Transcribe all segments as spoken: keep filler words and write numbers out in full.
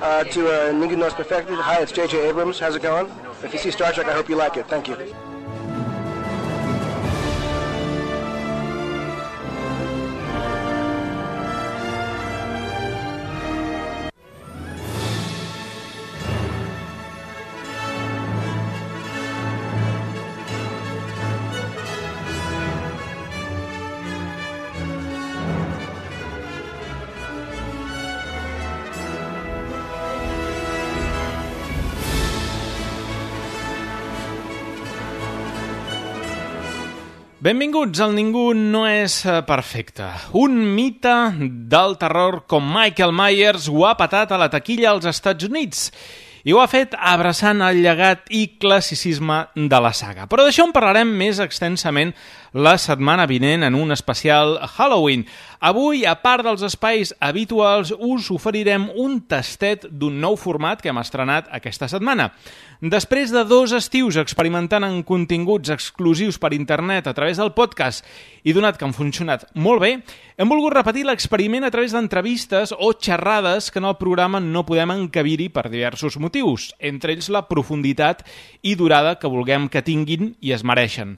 uh, to uh, Ningún No Es Perfecto. Hi, it's J J Abrams. How's it going? If you see Star Trek, I hope you like it. Thank you. Benvinguts al Ningú no és perfecte. Un mite del terror com Michael Myers ho ha patat a la taquilla als Estats Units i ho ha fet abraçant el llegat i classicisme de la saga. Però d'això en parlarem més extensament la setmana vinent en un especial Halloween. Avui, a part dels espais habituals, us oferirem un tastet d'un nou format que hem estrenat aquesta setmana. Després de dos estius experimentant en continguts exclusius per internet a través del podcast i donat que han funcionat molt bé, hem volgut repetir l'experiment a través d'entrevistes o xerrades que en el programa no podem encabir-hi per diversos motius, entre ells la profunditat i durada que vulguem que tinguin i es mereixen,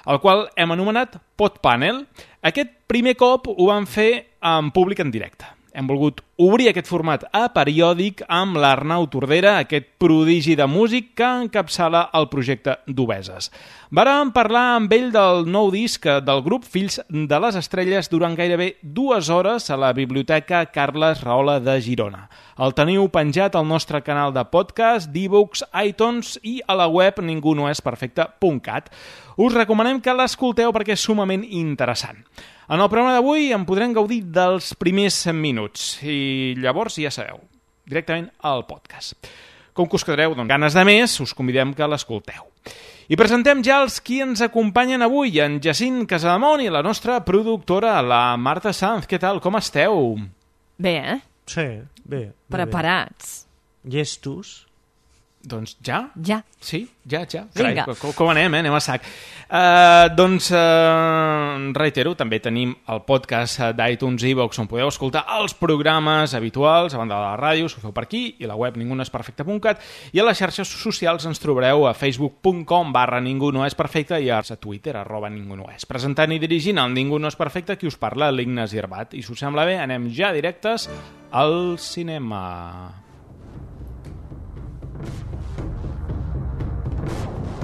el qual hem anomenat Podpanel. Aquest primer cop ho vam fer en públic en directe. Hem volgut obrir aquest format a periòdic amb l'Arnau Tordera, aquest prodigi de músic que encapçala el projecte d'Obeses. Vàrem parlar amb ell del nou disc del grup Fills de les Estrelles durant gairebé dues hores a la Biblioteca Carles Rahola de Girona. El teniu penjat al nostre canal de podcast, d'e-books, iTunes i a la web ningú no és perfecte punt cat. Us recomanem que l'escolteu perquè és sumament interessant. En el programa d'avui en podrem gaudir dels primers minuts i llavors ja sabeu, directament al podcast. Com que us quedareu amb ganes de més, us convidem que l'escolteu. I presentem ja els qui ens acompanyen avui, en Jacint Casademont i la nostra productora, la Marta Sanz. Què tal, com esteu? Bé, eh? Sí, bé. Preparats. Bé. Llestos? Doncs ja? Ja. Sí, ja, ja. Vinga. Carai, com, com anem, eh? Anem a sac. Uh, doncs, uh, reitero, també tenim el podcast d'iTunes i iVoox on podeu escoltar els programes habituals, a banda de la ràdio, s'ho feu per aquí, i la web ningú no és perfecte punt cat, i a les xarxes socials ens trobareu a facebook punt com barra ningú no és perfecte i a Twitter, arroba ningú no és. Presentant i dirigint el Ningú no és perfecte, qui us parla, l'Ignasi Herbat. I si us sembla bé, anem ja directes al cinema.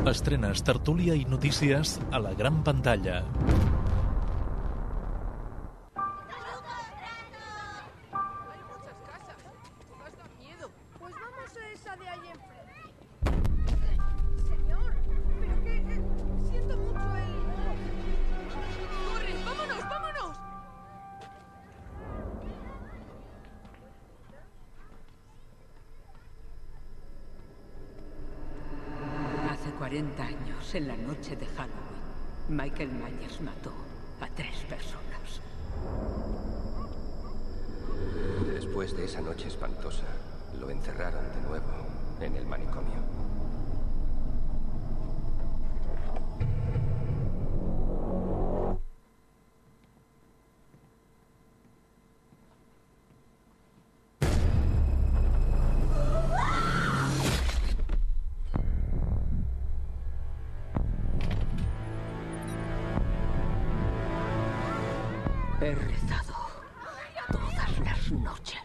Estrenes, tertúlia i notícies a la gran pantalla. cuarenta años, en la noche de Halloween, Michael Myers mató a tres personas. Después de esa noche espantosa, lo encerraron de nuevo en el manicomio. He rezado todas las noches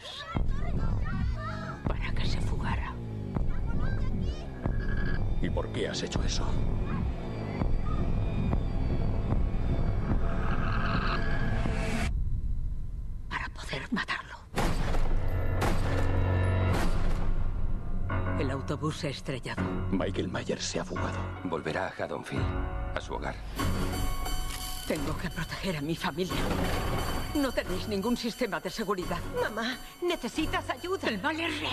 para que se fugara. ¿Y por qué has hecho eso? Para poder matarlo. El autobús se ha estrellado. Michael Myers se ha fugado. Volverá a Haddonfield, a su hogar. Tengo que proteger a mi familia. No tenéis ningún sistema de seguridad. Mamá, necesitas ayuda. El mal es real.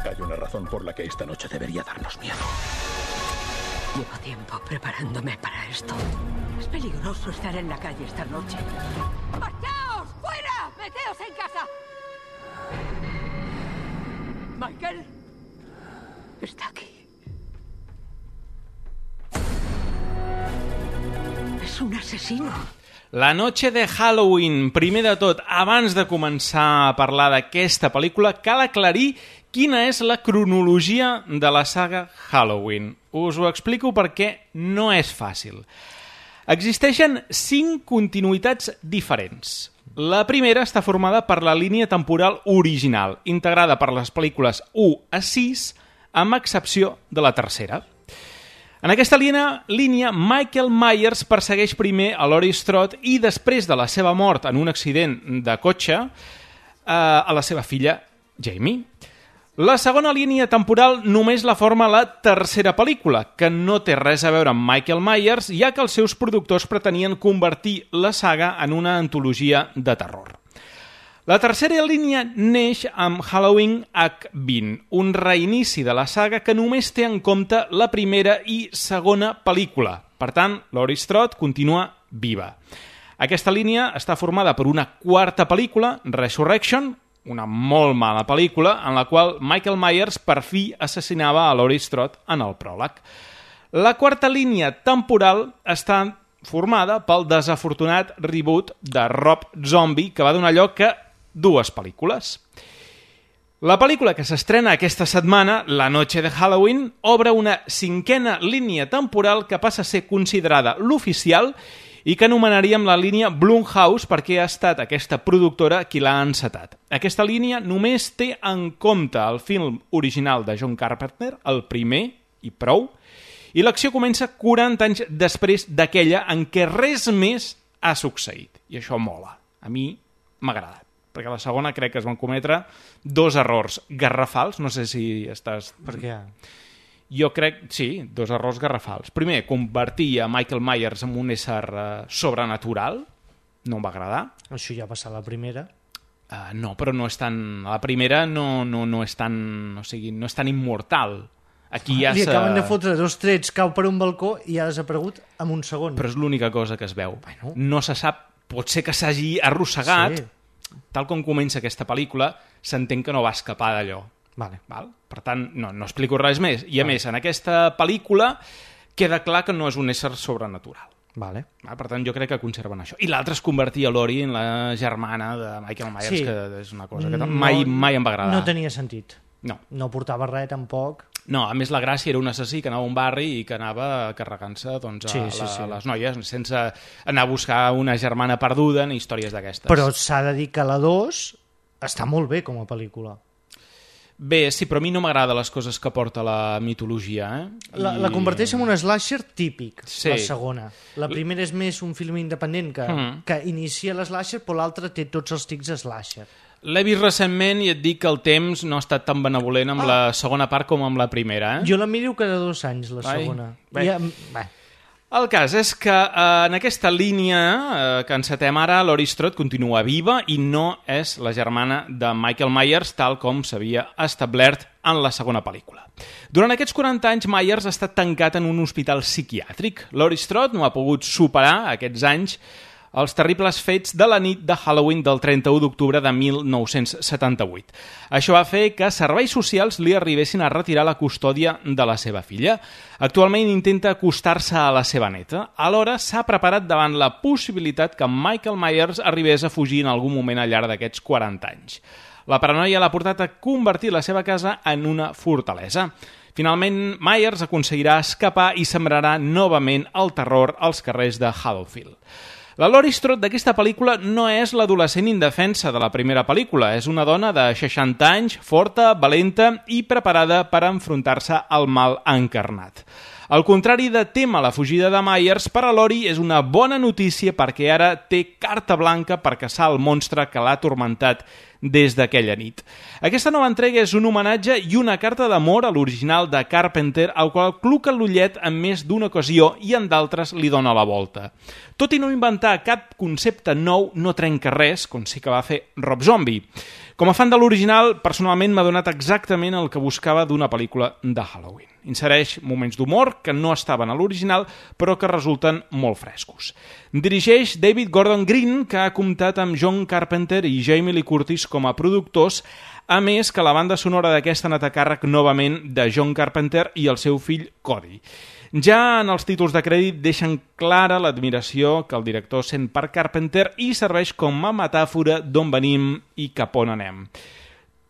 Hay una razón por la que esta noche debería darnos miedo. Llevo tiempo preparándome para esto. Es peligroso estar en la calle esta noche. ¡Marchaos! ¡Fuera! ¡Meteos en casa! Michael está aquí. Es un asesino. La noche de Halloween. Primer de tot, abans de començar a parlar d'aquesta pel·lícula, cal aclarir quina és la cronologia de la saga Halloween. Us ho explico perquè no és fàcil. Existeixen cinc continuïtats diferents. La primera està formada per la línia temporal original, integrada per les pel·lícules u a sis, amb excepció de la tercera. En aquesta línia, línia, Michael Myers persegueix primer a Laurie Strode i després de la seva mort en un accident de cotxe eh, a la seva filla Jamie. La segona línia temporal només la forma la tercera pel·lícula, que no té res a veure amb Michael Myers, ja que els seus productors pretenien convertir la saga en una antologia de terror. La tercera línia neix amb Halloween H vint, un reinici de la saga que només té en compte la primera i segona pel·lícula. Per tant, Laurie Strode continua viva. Aquesta línia està formada per una quarta pel·lícula, Resurrection, una molt mala pel·lícula en la qual Michael Myers per fi assassinava a Laurie Strode en el pròleg. La quarta línia temporal està formada pel desafortunat reboot de Rob Zombie, que va donar lloc a dues pel·lícules. La pel·lícula que s'estrena aquesta setmana, La noche de Halloween, obre una cinquena línia temporal que passa a ser considerada l'oficial i que anomenaríem la línia Blumhouse perquè ha estat aquesta productora qui l'ha encetat. Aquesta línia només té en compte el film original de John Carpenter, el primer i prou, i l'acció comença quaranta anys després d'aquella en què res més ha succeït. I això mola. A mi m'ha agradat, perquè a la segona crec que es van cometre dos errors garrafals, no sé si estàs... Per què? Jo crec, sí, dos errors garrafals. Primer, convertir a Michael Myers en un ésser uh, sobrenatural. No em va agradar. Això ja va passar a la primera. Uh, no, però no és tan... La primera no, no, no és tan... O sigui, no és tan immortal. Aquí ja Li se... acaben de fotre dos trets, cau per un balcó i ha desaparegut en un segon. Però és l'única cosa que es veu. Bueno. No se sap... Pot ser que s'hagi arrossegat. Sí. Tal com comença aquesta pel·lícula, s'entén que no va escapar d'allò. Vale. Val? Per tant, no, no explico res més. I a vale. Més, en aquesta pel·lícula queda clar que no és un ésser sobrenatural. Vale. Val? Per tant, jo crec que conserven això. I l'altre és convertir a Laurie en la germana de Michael Myers, sí. Que és una cosa que mai, no, mai em va agradar. No tenia sentit. No. No portava res, tampoc. No, a més la gràcia era un assassí que anava a un barri i que anava carregant-se doncs, a, sí, sí, la, sí. a les noies sense anar a buscar una germana perduda ni històries d'aquestes. Però s'ha de dir que la dos està molt bé com a pel·lícula. Bé, sí, però a mi no m'agrada les coses que porta la mitologia. Eh? La, I... la converteix en un slasher típic, sí. La segona. La primera és més un film independent que, mm. que inicia l'slasher, però l'altra té tots els tics de slasher. L'he vist recentment i et dic que el temps no ha estat tan benevolent amb ah. la segona part com amb la primera. Eh? Jo la miro cada dos anys, la Vai. segona. Bé. I, bé. El cas és que eh, en aquesta línia eh, que encetem ara, Laurie Strode continua viva i no és la germana de Michael Myers tal com s'havia establert en la segona pel·lícula. Durant aquests quaranta anys, Myers ha estat tancat en un hospital psiquiàtric. Laurie Strode no ha pogut superar aquests anys els terribles fets de la nit de Halloween del trenta-u d'octubre de mil nou-cents setanta-vuit. Això va fer que serveis socials li arribessin a retirar la custòdia de la seva filla. Actualment intenta acostar-se a la seva neta. Alhora s'ha preparat davant la possibilitat que Michael Myers arribés a fugir en algun moment al llarg d'aquests quaranta anys. La paranoia l'ha portat a convertir la seva casa en una fortalesa. Finalment, Myers aconseguirà escapar i sembrarà novament el terror als carrers de Haddonfield. La Laurie Strode d'aquesta pel·lícula no és l'adolescent indefensa de la primera pel·lícula. És una dona de seixanta anys, forta, valenta i preparada per enfrontar-se al mal encarnat. Al contrari de tema la fugida de Myers, per a Laurie és una bona notícia perquè ara té carta blanca per caçar el monstre que l'ha atormentat des d'aquella nit. Aquesta nova entrega és un homenatge i una carta d'amor a l'original de Carpenter, al qual cluca l'ullet en més d'una ocasió i en d'altres li dona la volta. Tot i no inventar cap concepte nou, no trenca res, com sí que va fer Rob Zombie. Com a fan de l'original, personalment m'ha donat exactament el que buscava d'una pel·lícula de Halloween. Insereix moments d'humor que no estaven a l'original, però que resulten molt frescos. Dirigeix David Gordon Green, que ha comptat amb John Carpenter i Jamie Lee Curtis com a productors, A més que la banda sonora d'aquesta ha anat a càrrec novament de John Carpenter i el seu fill Cody. Ja en els títols de crèdit deixen clara l'admiració que el director sent per Carpenter i serveix com a metàfora d'on venim i cap on anem.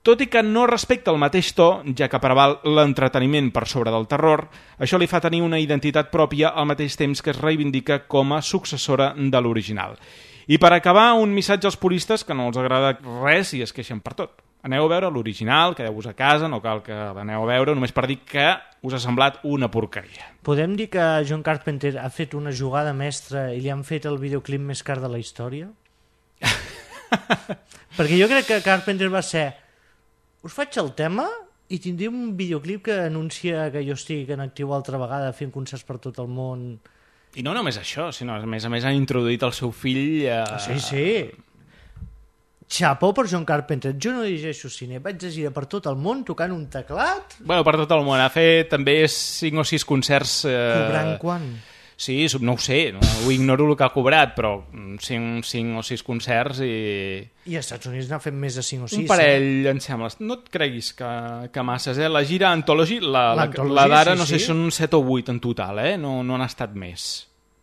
Tot i que no respecta el mateix to, ja que preval l'entreteniment per sobre del terror, això li fa tenir una identitat pròpia al mateix temps que es reivindica com a successora de l'original. I per acabar, un missatge als puristes que no els agrada res i es queixen per tot. Aneu a veure l'original, quedeu-vos a casa, no cal que l'aneu a veure, només per dir que us ha semblat una porqueria. Podem dir que John Carpenter ha fet una jugada mestra i li han fet el videoclip més car de la història? Perquè jo crec que Carpenter va ser... Us faig el tema i tindré un videoclip que anuncia que jo estic en actiu altra vegada fent concerts per tot el món. I no només això, sinó a més a més han introduït el seu fill... A... Sí, sí. Xapó per John Carpenter. Jo no llegeixo cine, vaig de gira per tot el món tocant un teclat. Bueno, per tot el món. Ha fet també cinc o sis concerts... Eh... Cobrant quan? Sí, no ho sé, no, ho ignoro el que ha cobrat, però cinc, cinc o sis concerts i... I als Estats Units n'ha fet més de cinc o sis. Un parell, eh? Em sembla. No et creguis que, que masses, eh? La gira Anthology, la, la, la d'ara, sí, no sé, sí. Són set o vuit en total, eh? No, no han estat més.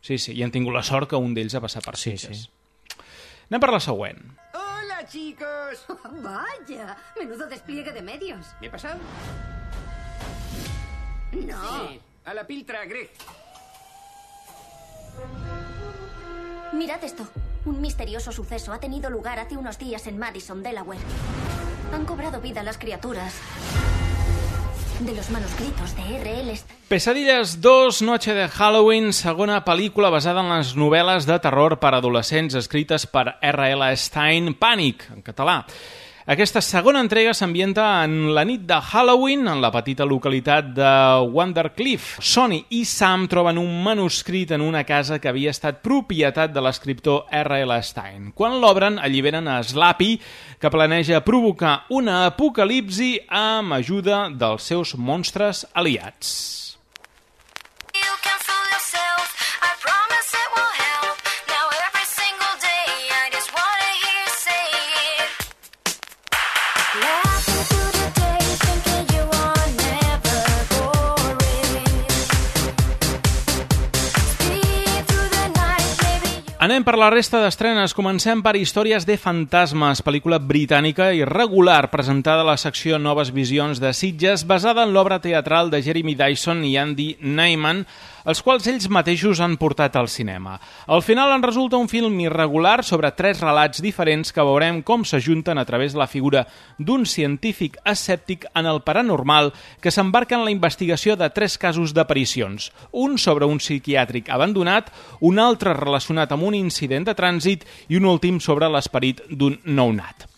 Sí, sí, i han tingut la sort que un d'ells ha passat per Sitges. Sí, sí. Anem per la següent. Hola, chicos. Oh, vaya, menudo despliegue de medios. ¿Me he pasado? No. Sí, a la piltra, Greg. Mirad esto. Un misterioso suceso ha tenido lugar hace unos días en Madison, Delaware. Han cobrado vida las criaturas de los manuscritos de R L Pesadillas dos, Noche de Halloween, segona pel·lícula basada en les novel·les de terror per adolescents escrites per R L Stein, Pànic, en català. Aquesta segona entrega s'ambienta en la nit de Halloween, en la petita localitat de Wandercliff. Sonny i Sam troben un manuscrit en una casa que havia estat propietat de l'escriptor R L Stein. Quan l'obren, alliberen a Slappy, que planeja provocar una apocalipsi amb ajuda dels seus monstres aliats. Anem per la resta d'estrenes. Comencem per Històries de fantasmes, pel·lícula britànica irregular presentada a la secció Noves Visions de Sitges, basada en l'obra teatral de Jeremy Dyson i Andy Neyman, els quals ells mateixos han portat al cinema. Al final en resulta un film irregular sobre tres relats diferents que veurem com s'ajunten a través de la figura d'un científic escèptic en el paranormal que s'embarca en la investigació de tres casos d'aparicions, un sobre un psiquiàtric abandonat, un altre relacionat amb un incident de trànsit i un últim sobre l'esperit d'un nounat.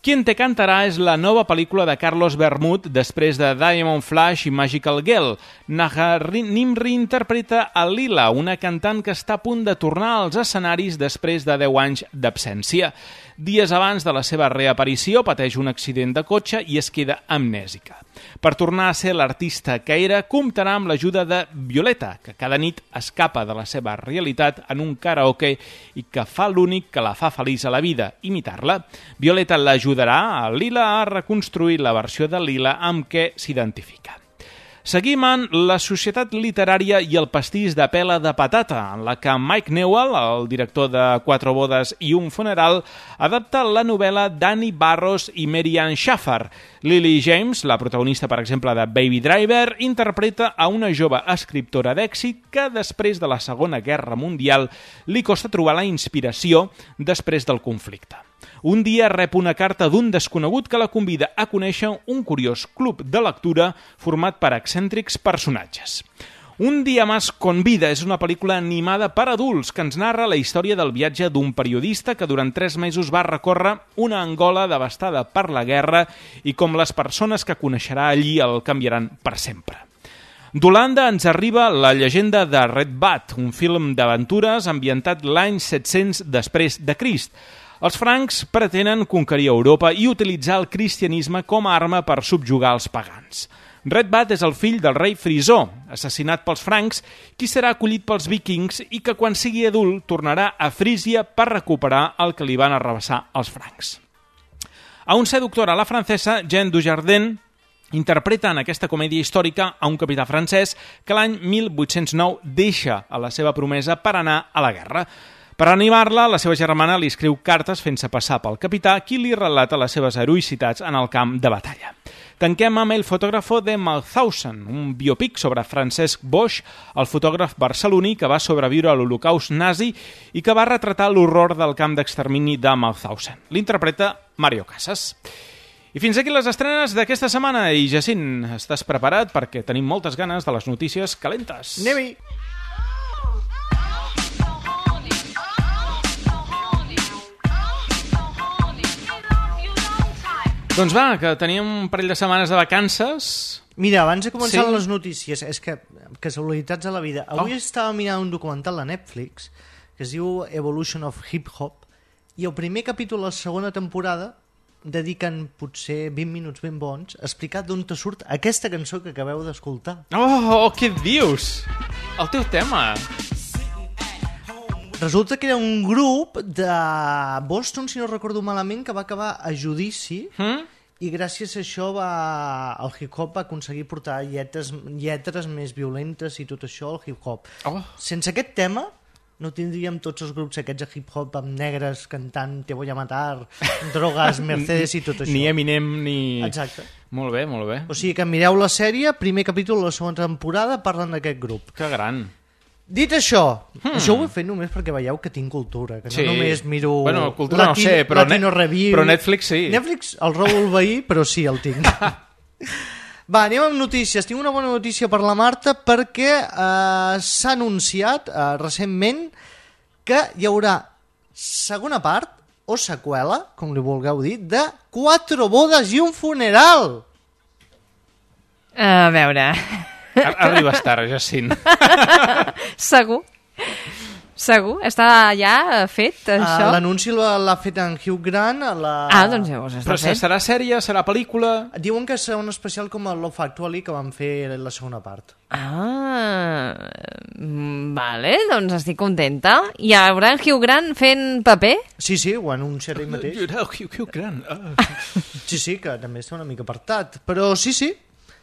Quien te cantarà és la nova pel·lícula de Carlos Bermud després de Diamond Flash i Magical Girl. Naha Nimri interpreta a Lila, una cantant que està a punt de tornar als escenaris després de deu anys d'absència. Dies abans de la seva reaparició pateix un accident de cotxe i es queda amnèsica. Per tornar a ser l'artista que era, comptarà amb l'ajuda de Violeta, que cada nit escapa de la seva realitat en un karaoke i que fa l'únic que la fa feliç a la vida, imitar-la. Violeta l'ajudarà a Lila a reconstruir la versió de Lila amb què s'identifica. Seguim en La societat literària i el pastís de pela de patata, en la que Mike Newell, el director de Quatre bodes i un funeral, adapta la novel·la d'Annie Barros i Mary Ann Schaffer. Lily James, la protagonista, per exemple, de Baby Driver, interpreta a una jove escriptora d'èxit que, després de la Segona Guerra Mundial, li costa trobar la inspiració després del conflicte. Un dia rep una carta d'un desconegut que la convida a conèixer un curiós club de lectura format per excèntrics personatges. Un dia más con vida és una pel·lícula animada per adults que ens narra la història del viatge d'un periodista que durant tres mesos va recórrer una Angola devastada per la guerra i com les persones que coneixerà allí el canviaran per sempre. D'Holanda ens arriba La llegenda de Red Bat, un film d'aventures ambientat l'any set-cents després de Crist. Els francs pretenen conquerir Europa i utilitzar el cristianisme com a arma per subjugar els pagans. Red Bat és el fill del rei Frisó, assassinat pels francs, qui serà acollit pels vikings i que quan sigui adult tornarà a Frísia per recuperar el que li van arrabassar els francs. A un seductor a la francesa, Jean Dujardin interpreta en aquesta comèdia històrica a un capità francès que l'any mil vuit-cents nou deixa a la seva promesa per anar a la guerra. Per animar-la, la seva germana li escriu cartes fent-se passar pel capità, qui li relata les seves heroïcitats en el camp de batalla. Tanquem amb El fotògrafo de Mauthausen, un biopic sobre Francesc Boix, el fotògraf barceloní que va sobreviure a l'Holocaust nazi i que va retratar l'horror del camp d'extermini de Mauthausen. L'interpreta Mario Casas. I fins aquí les estrenes d'aquesta setmana. I Jacint, estàs preparat? Perquè tenim moltes ganes de les notícies calentes. Anem-hi! Doncs va, que teníem un parell de setmanes de vacances. Mira, abans de començar Sí. les notícies, és que casualitats a la vida. Avui Oh. estava mirant un documental a Netflix que es diu Evolution of Hip Hop i el primer capítol de la segona temporada dediquen potser vint minuts ben bons a explicar d'on te surt aquesta cançó que acabeu d'escoltar. Oh, oh, què dius? El teu tema. Resulta que era un grup de Boston, si no recordo malament, que va acabar a judici Mm? i gràcies a això va, el hip-hop va aconseguir portar lletres, lletres més violentes i tot això al hip-hop. Oh. Sense aquest tema no tindríem tots els grups aquests de hip-hop amb negres cantant Te voy a matar, drogues, Mercedes i tot això. Ni Eminem ni... Exacte. Molt bé, molt bé. O sigui que mireu la sèrie, primer capítol de la segona temporada, parlen d'aquest grup. Que gran. Dit això, hmm. això ho he fet només perquè veieu que tinc cultura, que Sí. no només miro... Bueno, cultura no sé, però Latino Net- Review. però Netflix sí. Netflix el robo el veí, però sí, el tinc. Va, anem amb notícies. Tinc una bona notícia per la Marta perquè eh, s'ha anunciat eh, recentment que hi haurà segona part o seqüela, com li vulgueu dir, de Quatre bodes i un funeral. A veure... Ar- Arribes tard, Jacint. Segur. Segur. Està ja fet, això? Uh, L'anunci l'ha l'ha fet en Hugh Grant. A la... Ah, doncs llavors està Però fet. serà sèrie, serà pel·lícula... Diuen que serà un especial com el Love Actually que van fer la segona part. Ah, mm, vale, doncs estic contenta. Hi haurà en Hugh Grant fent paper? Sí, sí, ho anunciarà ell mateix. Hugh, Hugh Grant. Ah. Sí, sí, que també està una mica apartat. Però sí, sí.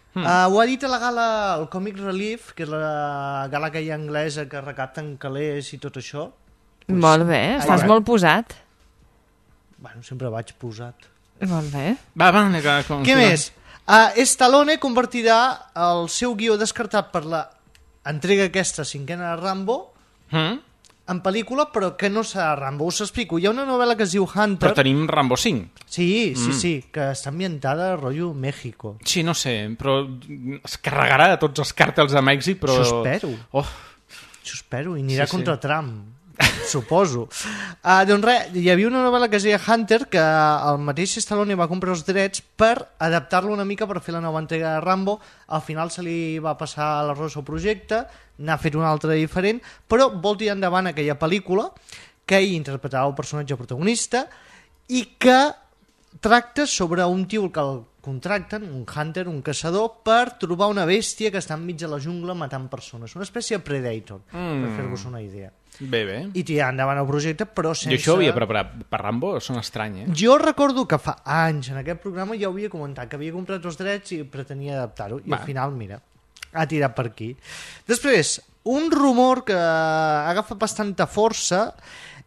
Hmm. Uh, ho ha dit a la gala, el Comic Relief, que és la gala que hi ha anglesa que recapten calés i tot això. Pues, Molt bé, estàs ai, molt posat. Bueno, sempre vaig posat. Molt bé. Va, va, que, com, Què més? Uh, Stallone convertirà el seu guió descartat per la entrega aquesta cinquena de Rambo Mm? en pel·lícula, però que no serà Rambo. Us explico. Hi ha una novel·la que es diu Hunter. Però tenim Rambo cinc. Sí, sí, Mm. sí, que està ambientada a rotllo México. Sí, no sé, però es carregarà de tots els càrtels de Mèxic, però... Això espero. Oh, Això espero, i anirà Sí, sí. contra Trump, suposo. Uh, doncs res, hi havia una novel·la que es deia Hunter, que el mateix Stallone va comprar els drets per adaptar-lo una mica per fer la nova entrega de Rambo. Al final se li va passar l'arròs al projecte, n'ha fet una altra diferent, però vol tirar endavant aquella pel·lícula que ell interpretava el personatge protagonista i que tracta sobre un tio que el contracten, un hunter, un caçador, per trobar una bèstia que està enmig de la jungla matant persones. Una espècie de Predator, mm. per fer-vos una idea. bé, bé. I tirar endavant el projecte, però sense... Jo això ho havia preparat per Rambo, són estrany, eh? Jo recordo que fa anys en aquest programa ja ho havia comentat, que havia comprat els drets i pretenia adaptar-ho, i Va. al final, mira, ha tirat per aquí. Després, un rumor que agafa bastanta força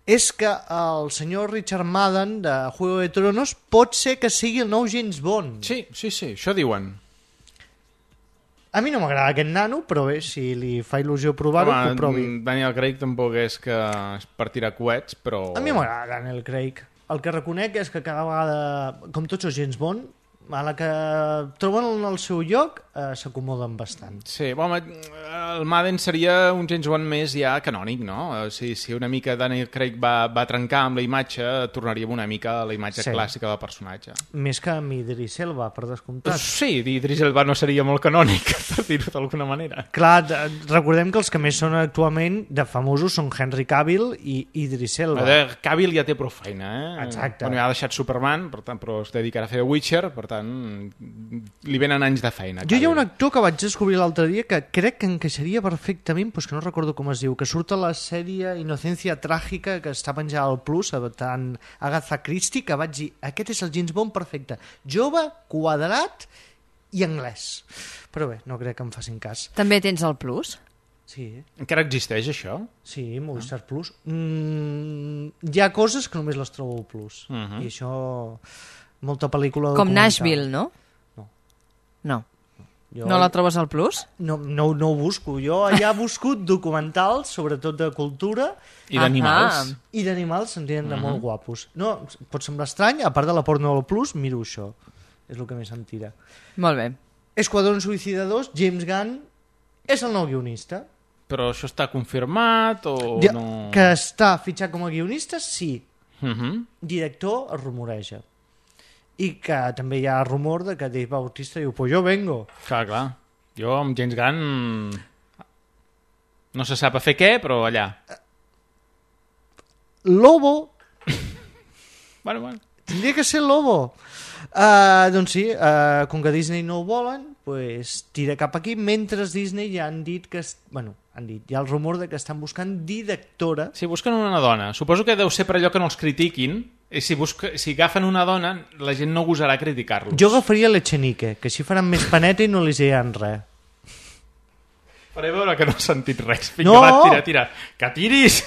és que el senyor Richard Madden de Juego de Tronos pot ser que sigui el nou James Bond. Sí, sí, sí, això diuen. A mi no m'agrada aquest nano, però bé, si li fa il·lusió provar-ho, que ho provi. Daniel Craig tampoc és que és per tirar coets, però... A mi m'agrada Daniel Craig. El que reconec és que cada vegada, com tots els James Bond, a la que troben el seu lloc, eh, s'acomoden bastant. Sí, home, el Madden seria un James Bond més ja canònic, no? O sigui, si una mica Daniel Craig va, va trencar amb la imatge, tornaríem una mica a la imatge Sí. clàssica del personatge. Més que amb Idris Elba, per descomptat. Sí, Idris Elba no seria molt canònic, per dir-ho d'alguna manera. Clar, de- recordem que els que més són actualment de famosos són Henry Cavill i Idris Elba. Veure, Cavill ja té prou feina, eh? Exacte. Bueno, ja ha deixat Superman, per tant, però es dedicarà a fer Witcher, per tant, li venen anys de feina. Jo hi ha Cavill. un actor que vaig descobrir l'altre dia que crec que encaixaria encaixaria perfectament, però és que no recordo com es diu, que surt a la sèrie Inocencia Tràgica, que està penjada al Plus, tant Agatha Christie, que vaig dir, aquest és el James Bond perfecte. Jove, quadrat i anglès. Però bé, no crec que em facin cas. També tens el Plus? Sí. Encara existeix això? Sí, Movistar ah. Plus. Mm, hi ha coses que només les trobo al Plus. Uh -huh. I això, molta pel·lícula com documental. Nashville, no? No. No. Jo, no la trobes al Plus? No, no, no ho busco. Jo allà he buscut documentals, sobretot de cultura. I d'animals. I d'animals se'n tenen de uh -huh. molt guapos. No, pot semblar estrany, a part de la porno del Plus, miro això. És el que més em tira. Molt bé. Esquadrón Suïcida dos, James Gunn és el nou guionista. Però això està confirmat o ja, no? Que està fitxat com a guionista, sí. Uh -huh. Director es rumoreja. I que també hi ha rumor de que Dave Bautista diu, pues jo vengo. Clar, clar. Jo amb James Gunn no se sap a fer què, però allà. Lobo. bueno, bueno. Tindria que ser Lobo. Uh, doncs sí, uh, com que Disney no ho volen, pues tira cap aquí, mentre Disney ja han dit que... Es... Bueno, han dit, hi ha el rumor de que estan buscant directora. Sí, busquen una dona. Suposo que deu ser per allò que no els critiquin. I si, busca... si agafen una dona, la gent no gosarà criticar-los. Jo agafaria l'Echenique, que així faran més paneta i no li diran res. Faré veure que no he sentit res. Vinga, no! va, tira, tira. Que tiris!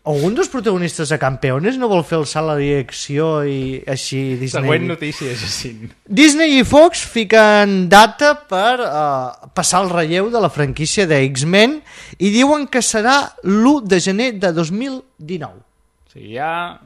Algun dels protagonistes de Campeones no vol fer el salt a la direcció i així Disney... Següent notícia, Jacint. Disney i Fox fiquen data per uh, passar el relleu de la franquícia de X-Men i diuen que serà l'u de gener de dos mil dinou. O sigui, ja...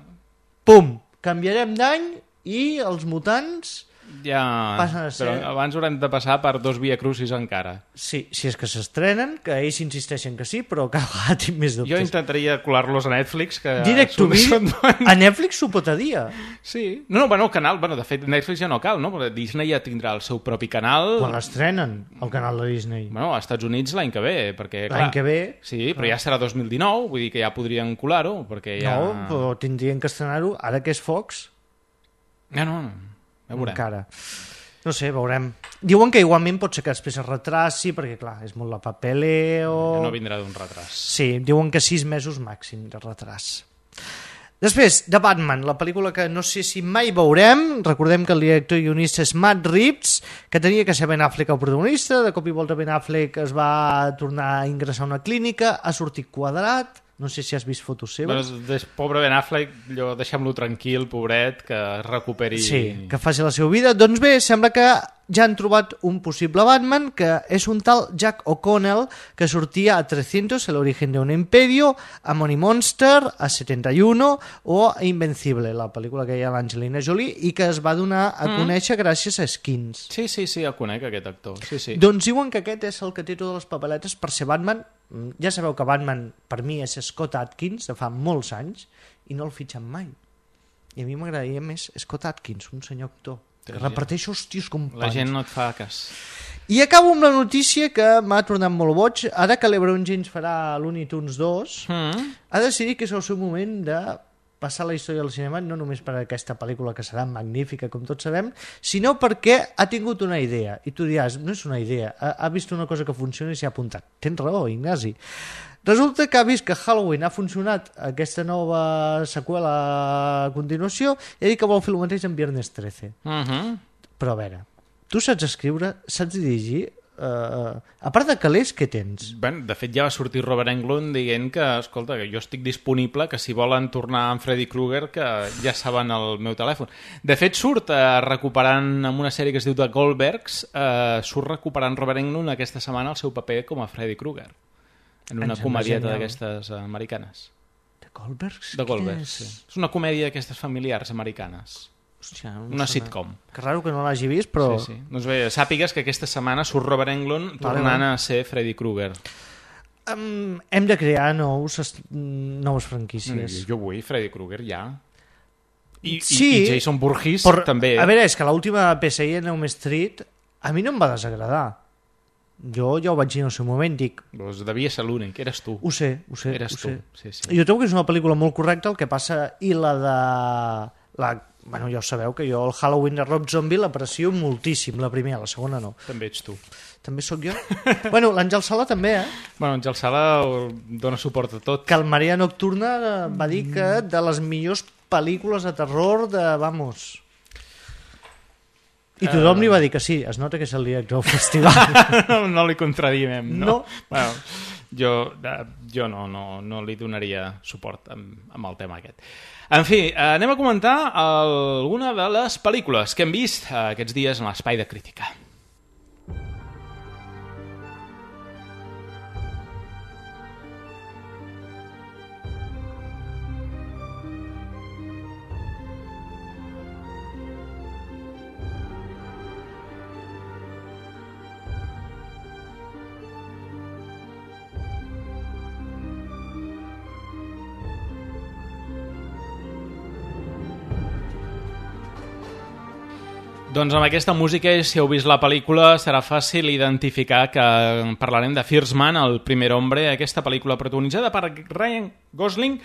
Pum! Canviarem d'any i els mutants... Ja, passen a ser... però abans haurem de passar per dos Via Crucis encara. Sí, si és que s'estrenen, que ells insisteixen que sí, però cada vegada tinc més dubtes. Jo intentaria colar-los a Netflix, que... Direct to video? A Netflix s'ho pot a dia. Sí. No, no, bueno, el canal, bueno, de fet, Netflix ja no cal, no? Perquè Disney ja tindrà el seu propi canal. Quan l'estrenen, el canal de Disney? Bueno, als Estats Units l'any que ve, perquè... L'any que ve? Sí, però ja serà dos mil dinou, vull dir que ja podrien colar-ho, perquè ja... No, però tindrien que estrenar-ho, ara que és Fox... No, no, no. Ja veurem. Encara. No sé, veurem. Diuen que igualment pot ser que després es retraci, perquè clar, és molt la papeleo... Ja no vindrà d'un retras. Sí, diuen que sis mesos màxim de retras. Després, The Batman, la pel·lícula que no sé si mai veurem. Recordem que el director i guionista és Matt Reeves, que tenia que ser Ben Affleck el protagonista. De cop i volta Ben Affleck es va tornar a ingressar a una clínica, ha sortit quadrat. No sé si has vist fotos seves. Bueno, des, pobre Ben Affleck, deixem-lo tranquil, pobret, que es recuperi... Sí, que faci la seva vida. Doncs bé, sembla que ja han trobat un possible Batman, que és un tal Jack O'Connell, que sortia a trescientos, El origen de un imperio, a Money Monster, a setenta y uno o a Invencible, la pel·lícula que hi ha l'Angelina Jolie, i que es va donar a mm. conèixer gràcies a Skins. Sí, sí, sí, el conec, aquest actor. Sí, sí. Doncs diuen que aquest és el que té totes les papeletes per ser Batman. Ja sabeu que Batman per mi és Scott Adkins de fa molts anys i no el fitxen mai, i a mi m'agradaria més Scott Adkins, un senyor actor que reparteix hòsties com pans. La gent no et fa cas. I acabo amb la notícia que m'ha tornat molt boig. Ara que l'Ebron James farà Looney Tunes dos, mm. ha decidit que és el seu moment de passar la història del cinema, no només per aquesta pel·lícula que serà magnífica, com tots sabem, sinó perquè ha tingut una idea. I tu diràs, no és una idea, ha, ha vist una cosa que funciona i s'hi ha apuntat. Tens raó, Ignasi. Resulta que ha vist que Halloween ha funcionat, aquesta nova seqüela a continuació, i ha dit que vol fer el mateix en Viernes trece. Uh-huh. Però a veure, tu saps escriure, saps dirigir... Uh, a part de calés, què tens? Ben, de fet ja va sortir Robert Englund dient que, escolta, que jo estic disponible, que si volen tornar amb Freddy Krueger, que ja saben el meu telèfon. De fet surt uh, recuperant amb una sèrie que es diu The Goldbergs, uh, surt recuperant Robert Englund aquesta setmana el seu paper com a Freddy Krueger en una comèdieta d'aquestes uh, americanes. The Goldbergs? The Goldbergs, sí. És una comèdia d'aquestes familiars americanes. Hòstia, no una sona. sitcom. Que raro que no l'hagi vist, però... Sí, sí. Doncs bé, sàpigues que aquesta setmana surt Robert Englund tornant vale, a ser Freddy Krueger. Um, hem de crear nous, noves franquícies. Jo vull Freddy Krueger ja. I, sí, i, i Jason Voorhees per, també. A veure, és que l'última P S I en Elm Street a mi no em va desagradar. Jo ja ho vaig dir en el seu moment, dic... Doncs devia ser l'únic, eres tu. Ho sé, ho sé. Eres ho tu, sé. sí, sí. Jo trobo que és una pel·lícula molt correcta, el que passa... I la de... La, bueno, ja ho sabeu que jo el Halloween de Rob Zombie l'aprecio moltíssim, la primera, la segona no. També ets tu. També sóc jo? Bueno, l'Àngel Sala també, eh? Bueno, Àngel Sala dona suport a tot. Que el Maria Nocturna va dir que de les millors pel·lícules de terror de... Vamos... I tothom li va dir que sí, es nota que és el director del festival. no, no li contradimem, no? No. Bueno, jo, jo no, no, no li donaria suport amb, amb el tema aquest. En fi, anem a comentar alguna de les pel·lícules que hem vist aquests dies en l'Espai de Crítica. Doncs amb aquesta música, si heu vist la pel·lícula, serà fàcil identificar que parlarem de First Man, el primer hombre, aquesta pel·lícula protagonitzada per Ryan Gosling,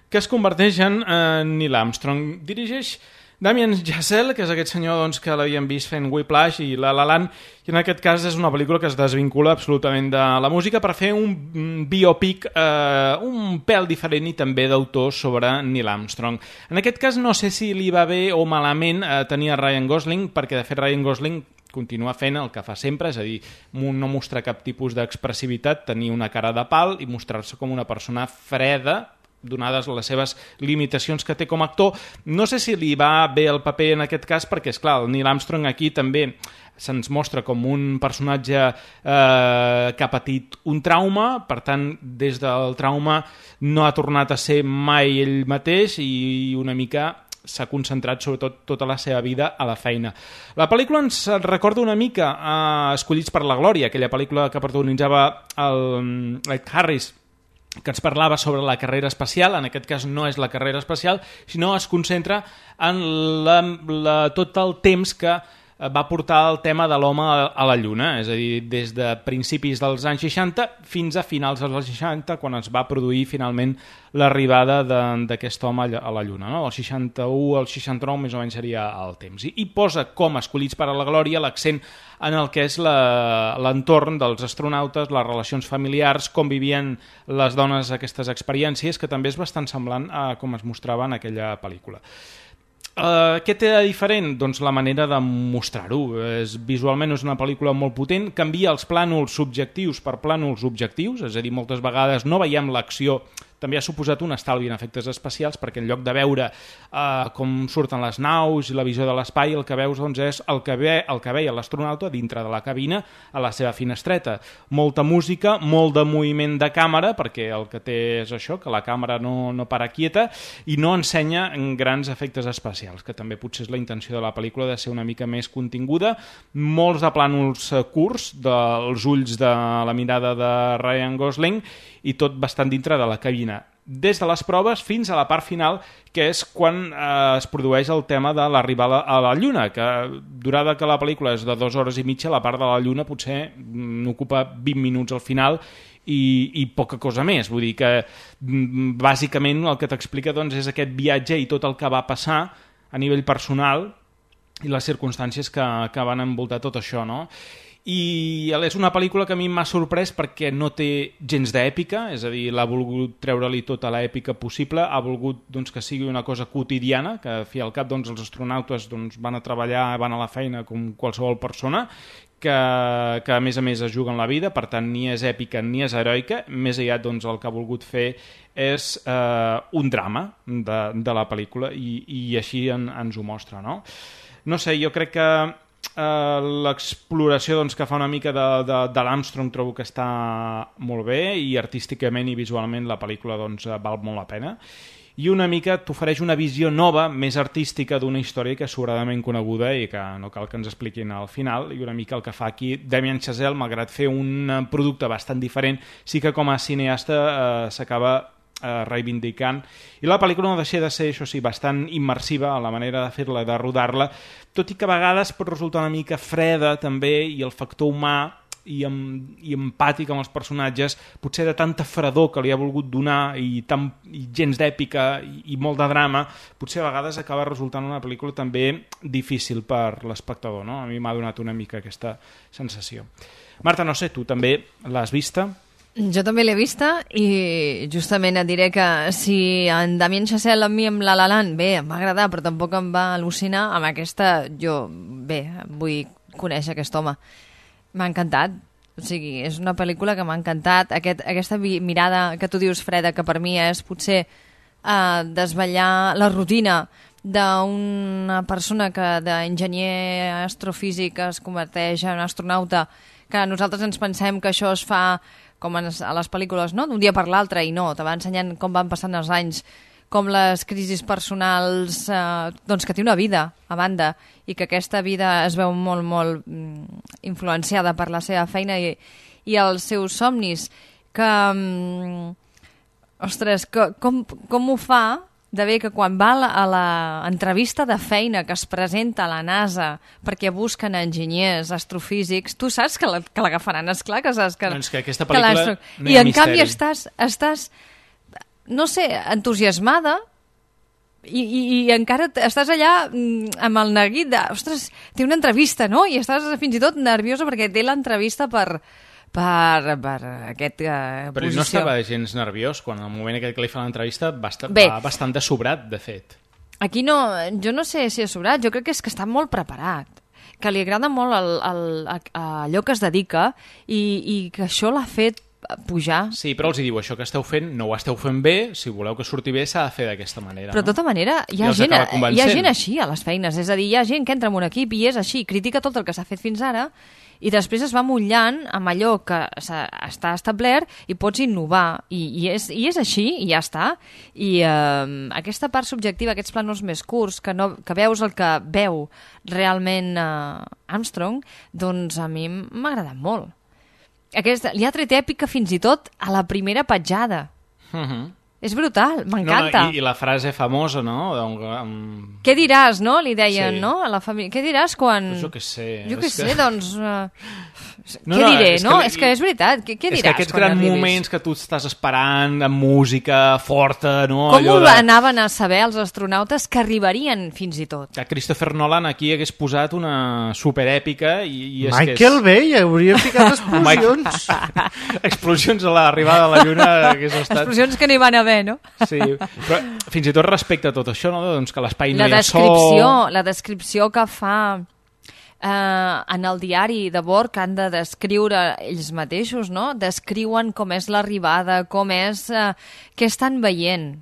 que es converteix en uh, Neil Armstrong. Dirigeix Damien Chazelle, que és aquest senyor doncs, que l'havíem vist fent Whiplash i La La Land, i en aquest cas és una pel·lícula que es desvincula absolutament de la música per fer un biopic eh, un pèl diferent i també d'autor sobre Neil Armstrong. En aquest cas no sé si li va bé o malament eh, tenir a Ryan Gosling, perquè de fet Ryan Gosling continua fent el que fa sempre, és a dir, no mostrar cap tipus d'expressivitat, tenir una cara de pal i mostrar-se com una persona freda, donades les seves limitacions que té com a actor. No sé si li va bé el paper en aquest cas, perquè, és clar, el Neil Armstrong aquí també se'ns mostra com un personatge eh, que ha patit un trauma, per tant, des del trauma no ha tornat a ser mai ell mateix i una mica s'ha concentrat sobretot tota la seva vida a la feina. La pel·lícula ens recorda una mica a Escollits per la Glòria, aquella pel·lícula que protagonitzava el Ed Harris, que ens parlava sobre la carrera espacial. En aquest cas no és la carrera espacial, sinó es concentra en la, la, tot el temps que va portar el tema de l'home a la Lluna, és a dir, des de principis dels anys seixanta fins a finals dels anys seixanta, quan es va produir finalment l'arribada d'aquest home a la Lluna. No? El seixanta-u al seixanta-nou més o menys seria el temps. I, i posa com Escollits per a la Glòria l'accent en el que és l'entorn dels astronautes, les relacions familiars, com vivien les dones aquestes experiències, que també és bastant semblant a com es mostrava en aquella pel·lícula. Uh, què té de diferent? Doncs la manera de mostrar-ho. És, visualment és una pel·lícula molt potent, canvia els plànols subjectius per plànols objectius, és a dir, moltes vegades no veiem l'acció. També ha suposat un estalvi en efectes especials, perquè en lloc de veure uh, com surten les naus i la visió de l'espai, el que veus doncs, és el que, ve, el que veia l'astronauta dintre de la cabina a la seva finestreta. Molta música, molt de moviment de càmera, perquè el que té és això, que la càmera no, no para quieta, i no ensenya grans efectes especials, que també potser és la intenció de la pel·lícula, de ser una mica més continguda. Molts de plànols curts dels ulls de la mirada de Ryan Gosling, i tot bastant dintre de la cabina. Des de les proves fins a la part final, que és quan eh, es produeix el tema de l'arribada a la Lluna, que durada que la pel·lícula és de dues hores i mitja, la part de la Lluna potser n'ocupa vint minuts al final i, i poca cosa més. Vull dir que bàsicament el que t'explica doncs, és aquest viatge i tot el que va passar a nivell personal i les circumstàncies que, que van envoltar tot això, no? I és una pel·lícula que a mi m'ha sorprès perquè no té gens d'èpica, és a dir, l'ha volgut treure-li tota l'èpica possible, ha volgut doncs, que sigui una cosa quotidiana, que a fi al cap doncs, els astronautes doncs, van a treballar, van a la feina com qualsevol persona, que, que a més a més es juguen la vida, per tant ni és èpica ni és heroica, més aviat doncs, el que ha volgut fer és eh, un drama de, de la pel·lícula i, i així en, ens ho mostra, no? No sé, jo crec que Uh, l'exploració doncs, que fa una mica de, de, de l'Armstrong trobo que està molt bé i artísticament i visualment la pel·lícula doncs, val molt la pena i una mica t'ofereix una visió nova, més artística d'una història que és sobradament coneguda i que no cal que ens expliquin al final, i una mica el que fa aquí Damien Chazelle, malgrat fer un producte bastant diferent, sí que com a cineasta uh, s'acaba Eh, reivindicant, i la pel·lícula no deixa de ser, això sí, bastant immersiva a la manera de fer-la, de rodar-la, tot i que a vegades pot resultar una mica freda també, i el factor humà i, amb, i empàtic amb els personatges, potser de tanta fredor que li ha volgut donar i, tan, i gens d'èpica i, i molt de drama, potser a vegades acaba resultant una pel·lícula també difícil per l'espectador, no? A mi m'ha donat una mica aquesta sensació. Marta, no sé, tu també l'has vista? Jo també l'he vista i justament et diré que si en Damien Chazelle amb mi amb La La Land, bé, em va agradar però tampoc em va al·lucinar, amb aquesta jo, bé, vull conèixer aquest home. M'ha encantat, o sigui, és una pel·lícula que m'ha encantat, aquest, aquesta mirada que tu dius, Freda, que per mi és potser uh, desvetllar la rutina d'una persona que d'enginyer astrofísic es converteix en astronauta, que nosaltres ens pensem que això es fa com a les pel·lícules, no? D'un dia per l'altre, i no, te va ensenyant com van passant els anys, com les crisis personals, eh, doncs que té una vida a banda, i que aquesta vida es veu molt, molt mm, influenciada per la seva feina i, i els seus somnis, que, mm, ostres, que, com, com ho fa de bé que quan va a l'entrevista de feina que es presenta a la NASA perquè busquen enginyers astrofísics, tu saps que l'agafaran, esclar que saps que... Doncs que aquesta pel·lícula que no hi ha I en canvi estàs, estàs, no sé, entusiasmada i, i, i encara estàs allà amb el neguit de, ostres, té una entrevista, no? I estàs fins i tot nerviosa perquè té l'entrevista per... per, per aquest uh, però posició. No estava gens nerviós quan al moment aquest que li fa l'entrevista va, estar, va bastant de sobrat, de fet. Aquí no, jo no sé si és sobrat, jo crec que és que està molt preparat, que li agrada molt el, el, el, allò que es dedica i, i que això l'ha fet pujar. Sí, però els hi diu, això que esteu fent no ho esteu fent bé, si voleu que surti bé s'ha de fer d'aquesta manera. Però de tota manera hi ha, gent, hi ha gent així a les feines, és a dir, hi ha gent que entra en un equip i és així, critica tot el que s'ha fet fins ara i després es va mullant amb allò que està establert i pots innovar i, i, és, i és així i ja està i eh, aquesta part subjectiva, aquests plànols més curts que, no, que veus el que veu realment eh, Armstrong, doncs a mi m'ha agradat molt. Aquesta, li ha tret èpica fins i tot a la primera petjada. Uh-huh. És brutal, m'encanta. No, no, i, I la frase famosa, no? Um... Què diràs, no? Li deien, sí. no? A la família. Què diràs quan... Pues jo què sé. Jo què és sé, que... doncs... Uh... No, què no, diré, és no? Que... És que és veritat. Què, què diràs quan arribis? És que aquests grans moments que tu estàs esperant, amb música forta, no? Com Allò ho de... anaven a saber els astronautes que arribarien fins i tot? Que Christopher Nolan aquí hagués posat una superèpica i, i és Michael que és... Bay hauria ficat explosions. Explosions a l'arribada a la Lluna hagués estat... Explosions que no hi van haver, no? Sí, però fins i tot respecte a tot això, no? Doncs que l'espai no la hi ha descripció, so... La descripció que fa eh, en el diari de bord que han de descriure ells mateixos, no? Descriuen com és l'arribada, com és... Eh, què estan veient.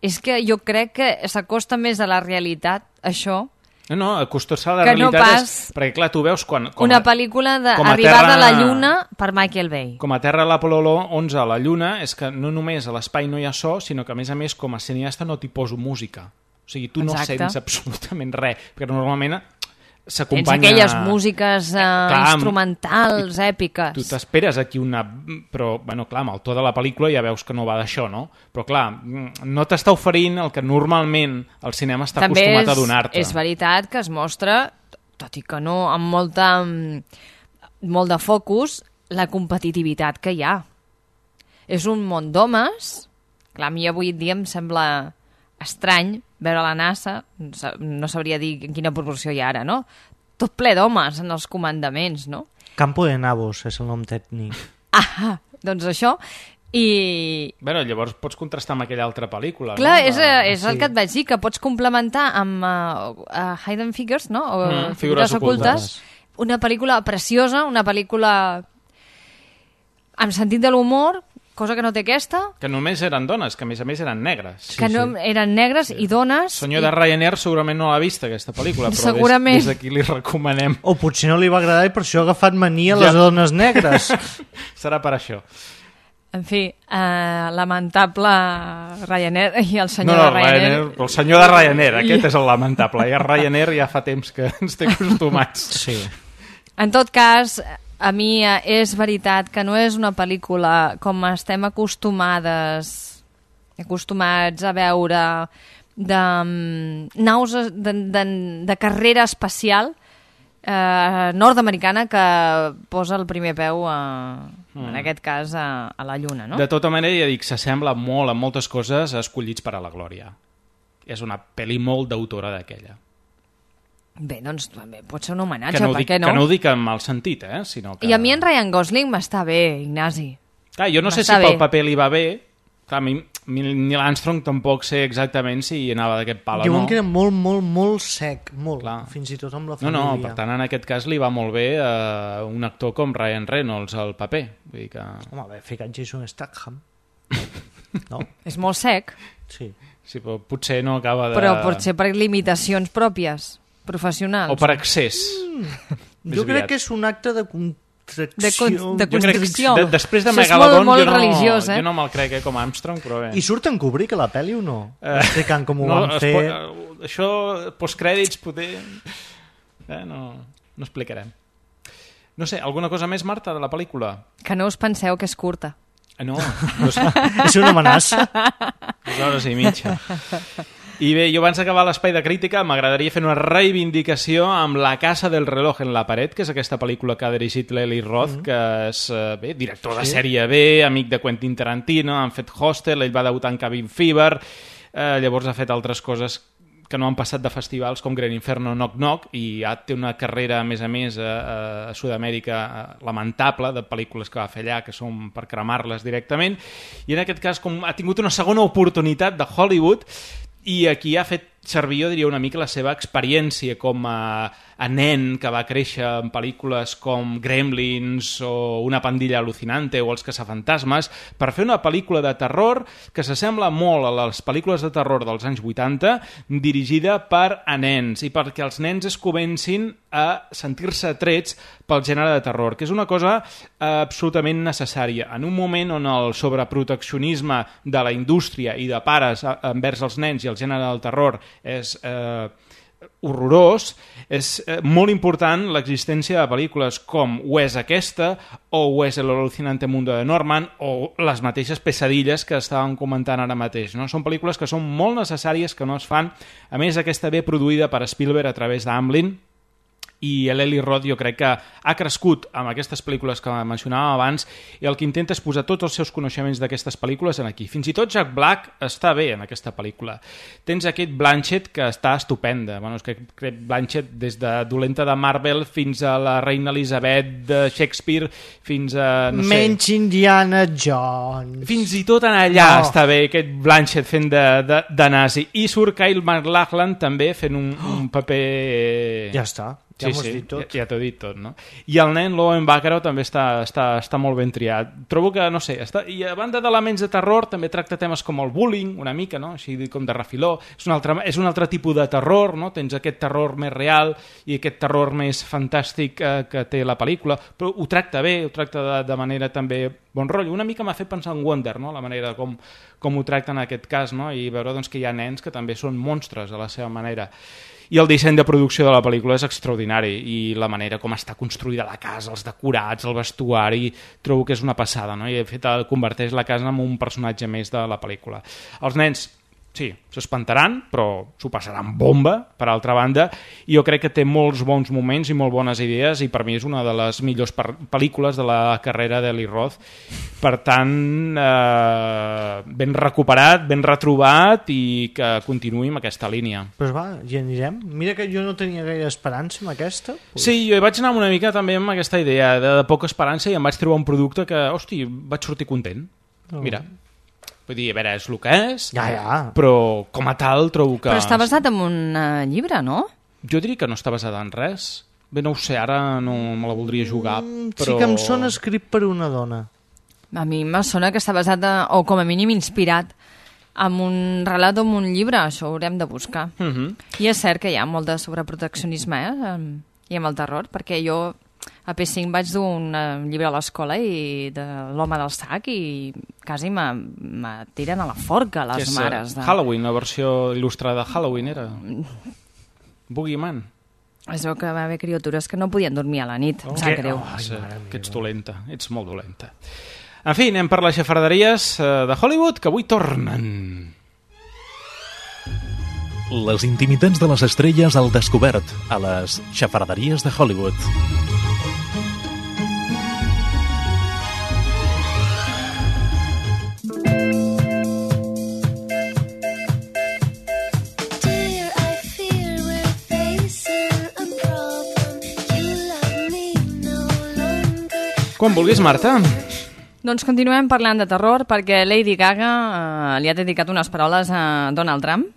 És que jo crec que s'acosta més a la realitat, això... No, no, acostar-se a la que realitat no pas és... Perquè, clar, tu veus quan... Com una a, pel·lícula d'arribada terra... a la Lluna per Michael Bay. Com a terra l'Apol·lo onze a la Lluna, és que no només a l'espai no hi ha so, sinó que, a més a més, com a cineasta no t'hi poso música. O sigui, tu Exacte. no sents absolutament res, perquè normalment s'acompanya... Tens aquelles músiques eh, clar, instrumentals, èpiques. Tu t'esperes aquí una... Però, bueno, clar, amb el to de la pel·lícula ja veus que no va d'això, no? Però, clar, no t'està oferint el que normalment el cinema està També acostumat és, a donar-te. és veritat que es mostra, tot i que no amb molta, molt de focus, la competitivitat que hi ha. És un món d'homes. Clar, a mi avui dia em sembla estrany veure la NASA, no sabria dir en quina proporció hi ha ara, no? Tot ple d'homes en els comandaments, no? Campo de Nabos és el nom tècnic. Ah, doncs això... I... Bueno, llavors pots contrastar amb aquella altra pel·lícula, clar, no? és, és sí. El que et vaig dir, que pots complementar amb uh, uh, Hidden Figures, no? O mm, Figures, figures ocultes. ocultes. Una pel·lícula preciosa, una pel·lícula amb sentit de l'humor, cosa que no té aquesta. Que només eren dones, que a més a més eren negres. Que sí, no, sí. Eren negres sí. I dones. El senyor i... de Ryanair segurament no l'ha vista, aquesta pel·lícula, però segurament. des, des d'aquí li recomanem. O potser no li va agradar i per això ha agafat mania a les ja. dones negres. Serà per això. En fi, eh, lamentable Ryanair i el senyor no, no, de Ryanair. Ryanair. El senyor de Ryanair, aquest és el lamentable. Ja Ryanair ja fa temps que ens té acostumats. Sí. En tot cas, a mi és veritat que no és una pel·lícula com estem acostumades, acostumats a veure de um, naus de, de, de carrera espacial, eh, nord-americana que posa el primer peu, a, Mm. en aquest cas, a, a la Lluna, no? De tota manera, ja dic, s'assembla molt a moltes coses escollits per a la Glòria. És una pel·li molt d'autora d'aquella. Bé, doncs també pot ser un homenatge, Que no, ho per dic, què no? que no ho dic en mal sentit, eh? Sinó que... I a mi en Ryan Gosling m'està bé, Ignasi. Clar, jo no sé si M'està pel bé. paper li va bé. Clar, a mi, Neil Armstrong tampoc sé exactament si anava d'aquest pal o Diuen no. que era molt, molt, molt sec, molt, Clar. fins i tot amb la No, família. no, per tant, en aquest cas li va molt bé a un actor com Ryan Reynolds al paper. Vull dir que... Home, bé, ficat Jason Statham. No? És molt sec, Sí. Sí, però potser no acaba de... però potser per limitacions pròpies, professionals. O per excés. Mm. Jo crec que és un acte de contracció. De con- de Jo crec que constricció. de, després de Això és Megalodon molt, molt jo, no, religiós, eh? jo no me'l crec eh, com a Armstrong, però bé. I surt en Kubrick a la pel·li o no? Eh, Explicant com ho no, van es fer... pot- això, postcrèdits, poder... Eh, no, no explicarem. No sé, alguna cosa més, Marta, de la pel·lícula? Que no us penseu que és curta. Eh, No, no sé. És una amenaça. Dues hores i mitja. I bé, jo abans d'acabar l'espai de crítica m'agradaria fer una reivindicació amb La casa del reloj en la paret, que és aquesta pel·lícula que ha dirigit l'Eli Roth, mm. que és eh, bé, director de Sí. sèrie B, amic de Quentin Tarantino, han fet Hostel, ell va debutar en Cabin Fever, eh, llavors ha fet altres coses que no han passat de festivals com Gran Inferno, Knock Knock, i ja té una carrera, a més a més, a, a Sud-amèrica eh, lamentable, de pel·lícules que va fer allà, que són per cremar-les directament, i en aquest cas com ha tingut una segona oportunitat de Hollywood, i aquí ha fet servir, jo diria, una mica la seva experiència com a, a nen que va créixer en pel·lícules com Gremlins o Una pandilla alucinante o Els caçafantasmes per fer una pel·lícula de terror que s'assembla molt a les pel·lícules de terror dels anys vuitanta, dirigida per a nens i perquè els nens es comencin a sentir-se atrets pel gènere de terror, que és una cosa eh, absolutament necessària. En un moment on el sobreproteccionisme de la indústria i de pares a, envers els nens i el gènere del terror és eh, horrorós, és eh, molt important l'existència de pel·lícules com ho és aquesta, o ho és El alucinante mundo de Norman, o les mateixes pesadilles que estàvem comentant ara mateix. No? Són pel·lícules que són molt necessàries, que no es fan. A més, aquesta ve produïda per Spielberg a través d'Amblin, i l'Eli Roth jo crec que ha crescut amb aquestes pel·lícules que mencionàvem abans i el que intenta és posar tots els seus coneixements d'aquestes pel·lícules en aquí. Fins i tot Jack Black està bé en aquesta pel·lícula. Tens aquest Blanchett que està estupenda. Bueno, és que crec Blanchett des de dolenta de Marvel fins a la reina Elisabet de Shakespeare fins a... no sé... Menys Indiana Jones. Fins i tot en allà No. està bé aquest Blanchett fent de, de, de nazi. I surt Kyle MacLachlan també fent un, un paper... Ja està. Ja Sí, m'ho has sí, dit tot. ja, ja t'ho he dit tot, no? I el nen Lowen Baccarat també està, està, està molt ben triat. Trobo que, no sé, està... i a banda d'elements de terror també tracta temes com el bullying, una mica, no? Així com de refiló. És un altre, és un altre tipus de terror, no? Tens aquest terror més real i aquest terror més fantàstic eh, que té la pel·lícula, però ho tracta bé, ho tracta de, de manera també bon rotllo. Una mica m'ha fet pensar en Wonder, no? La manera com, com ho tracta en aquest cas, no? I veure doncs, que hi ha nens que també són monstres a la seva manera. I el disseny de producció de la pel·lícula és extraordinari i la manera com està construïda la casa, els decorats, el vestuari, trobo que és una passada, no? I de fet converteix la casa en un personatge més de la pel·lícula. Els nens, sí, s'espantaran, però s'ho passaran bomba, per altra banda, i jo crec que té molts bons moments i molt bones idees i per mi és una de les millors pel·lícules de la carrera d'Eli Roth. Per tant, eh, ben recuperat, ben retrobat i que continuï amb aquesta línia. Pues va, hi anirem. Mira que jo no tenia gaire esperança amb aquesta. Pues... Sí, jo hi vaig anar una mica també amb aquesta idea de, de poca esperança i em vaig trobar un producte que, hosti, vaig sortir content. Oh. Mira, vull dir, a veure, és el que és, Ja, ja. però com a tal trobo que... Però està basat en un uh, llibre, no? Jo diria que no està basada en res. Bé, no ho sé, ara no me la voldria jugar, Mm, però... Sí que em sona escrit per una dona. A mi me sona que està basat, en, o com a mínim inspirat, en un relat o en un llibre. Això ho haurem de buscar. Uh -huh. I és cert que hi ha molt de sobreproteccionisme, eh? em- i amb el terror, perquè jo a P cinc vaig dur un eh, llibre a l'escola i de l'home del sac i quasi me, me tiren a la forca Que les és, mares. eh, De... Halloween, la versió il·lustrada de Halloween era. Boogeyman. Es veu que va haver criatures que no podien dormir a la nit. Em sap greu. Oh, és, que ets dolenta, ets molt dolenta. En fi, anem per les xafarderies eh, de Hollywood, que avui tornen. Les intimitats de les estrelles al descobert a les xafarderies de Hollywood. Quan vulguis, Marta. Doncs continuem parlant de terror perquè Lady Gaga eh, li ha dedicat unes paraules a Donald Trump.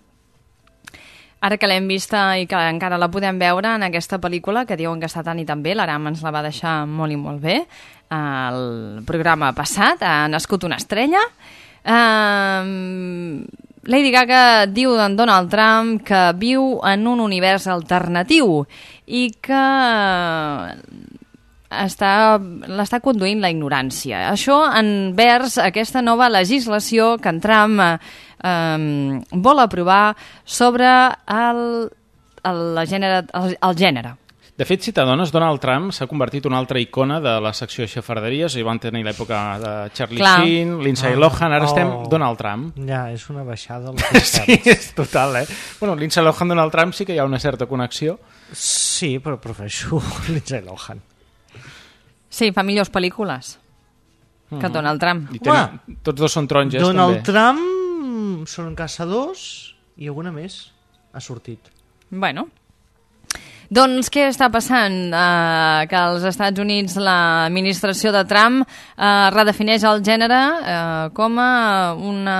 Ara que l'hem vista i que encara la podem veure en aquesta pel·lícula, que diuen que està tan i tan bé, l'Aram ens la va deixar molt i molt bé, el programa passat, ha nascut una estrella. Uh, Lady Gaga diu d'en Donald Trump que viu en un univers alternatiu i que està, l'està conduint la ignorància. Això envers aquesta nova legislació que en Trump eh, eh, vol aprovar sobre el, el, la gènere, el, el gènere. De fet, si t'adones, Donald Trump s'ha convertit en una altra icona de la secció de xafarderies. Hi van tenir l'època de Charlie Clar. Sheen, Lindsay Ah. Lohan, ara Oh. estem Donald Trump. Ja, és una baixada als Sí, concerts. és total, eh? Bueno, Lindsay Lohan, Donald Trump sí que hi ha una certa connexió. Sí, però prefereixo Lindsay Lohan. Sí, fa millors pel·lícules que Donald Trump. I tenen, tots dos són taronges, Donald també. Trump són caçadors i alguna més ha sortit. Bueno, doncs què està passant? Uh, que als Estats Units l'administració de Trump uh, redefineix el gènere uh, com a una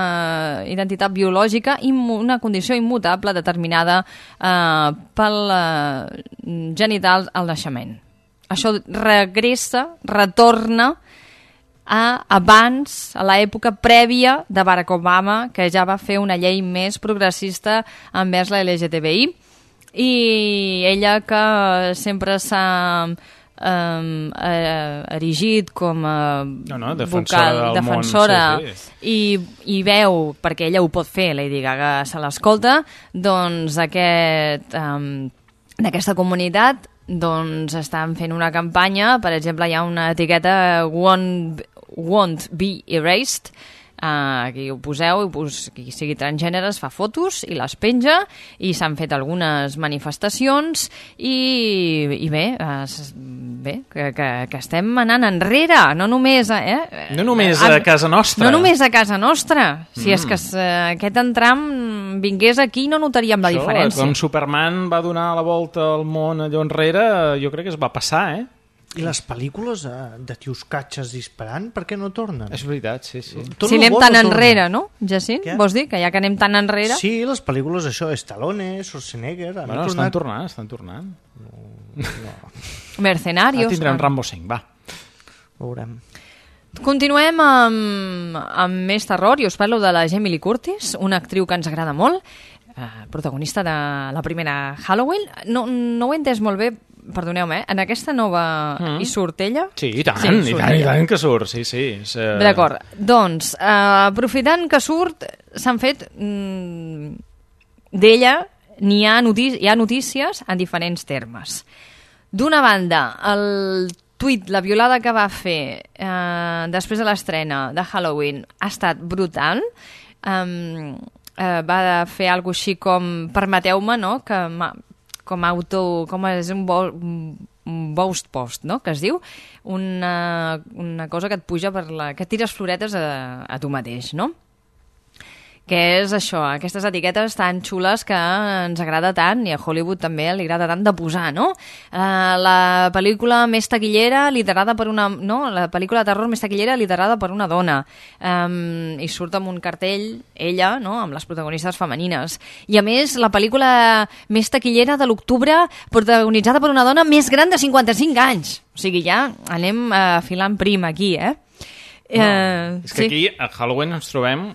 identitat biològica i una condició immutable determinada uh, pel uh, genital al naixement. Això regressa, retorna a abans, a l'època prèvia de Barack Obama, que ja va fer una llei més progressista envers la L G T B I, i ella que sempre s'ha um, eh, erigit com a No, no, defensora vocal, del defensora món, sí, sí. I, i veu, perquè ella ho pot fer, Lady Gaga se l'escolta, doncs aquest, um, en aquesta comunitat doncs estan fent una campanya, per exemple hi ha una etiqueta won't, won't be erased, uh, aquí ho poseu, i pos, qui sigui transgènere es fa fotos i les penja, i s'han fet algunes manifestacions i, i bé, es, bé que, que, que estem anant enrere, no només a, eh? No només a casa nostra. No només a casa nostra, si Mm. és que uh, aquest entram vingués aquí no notaríem la Això, diferència. Com Superman va donar la volta al món allò enrere, jo crec que es va passar, eh? I les pel·lícules eh, de tios catxes disparant, per què no tornen? És veritat, sí, sí. Tot Si lo anem bo tan no torna. enrere, no, Jacint? Què? Vols dir que ja que anem tan enrere... Sí, les pel·lícules, això, Stallone, Schwarzenegger... Han Bueno, tornat... estan tornant, estan tornant. Mercenarios... Ah, tindrem ah. Rambo cinc, va. Veurem. Continuem amb, amb més terror i us parlo de la Jamie Lee Curtis, una actriu que ens agrada molt, eh, protagonista de la primera Halloween. No, no ho he entès molt bé, perdoneu-me, eh? En aquesta nova Mm. hi surt ella? Sí, i tant, Sí, i surt tant, i ella. tant que surt, sí, sí. És, eh, D'acord, doncs, eh, aprofitant que surt, s'han fet mm, d'ella, n'hi ha, notícies, hi ha notícies en diferents termes. D'una banda, el tuit, la violada que va fer eh, després de l'estrena de Halloween ha estat brutal. Um, eh, va fer alguna cosa així com, permeteu-me, no?, que ma, com auto, com és un, bo, un boast post, no?, que es diu, una, una cosa que et puja per la... que et tires floretes a, a tu mateix, no?, que és això, aquestes etiquetes tan xules que ens agrada tant, i a Hollywood també li agrada tant de posar, no? Uh, la pel·lícula més taquillera liderada per una... no? La pel·lícula de terror més taquillera liderada per una dona. Um, I surt amb un cartell, ella, no?, amb les protagonistes femenines. I a més, la pel·lícula més taquillera de l'octubre protagonitzada per una dona més gran de cinquanta-cinc anys. O sigui, ja anem uh, filant prim aquí, eh? No, Uh, és que aquí a Halloween ens trobem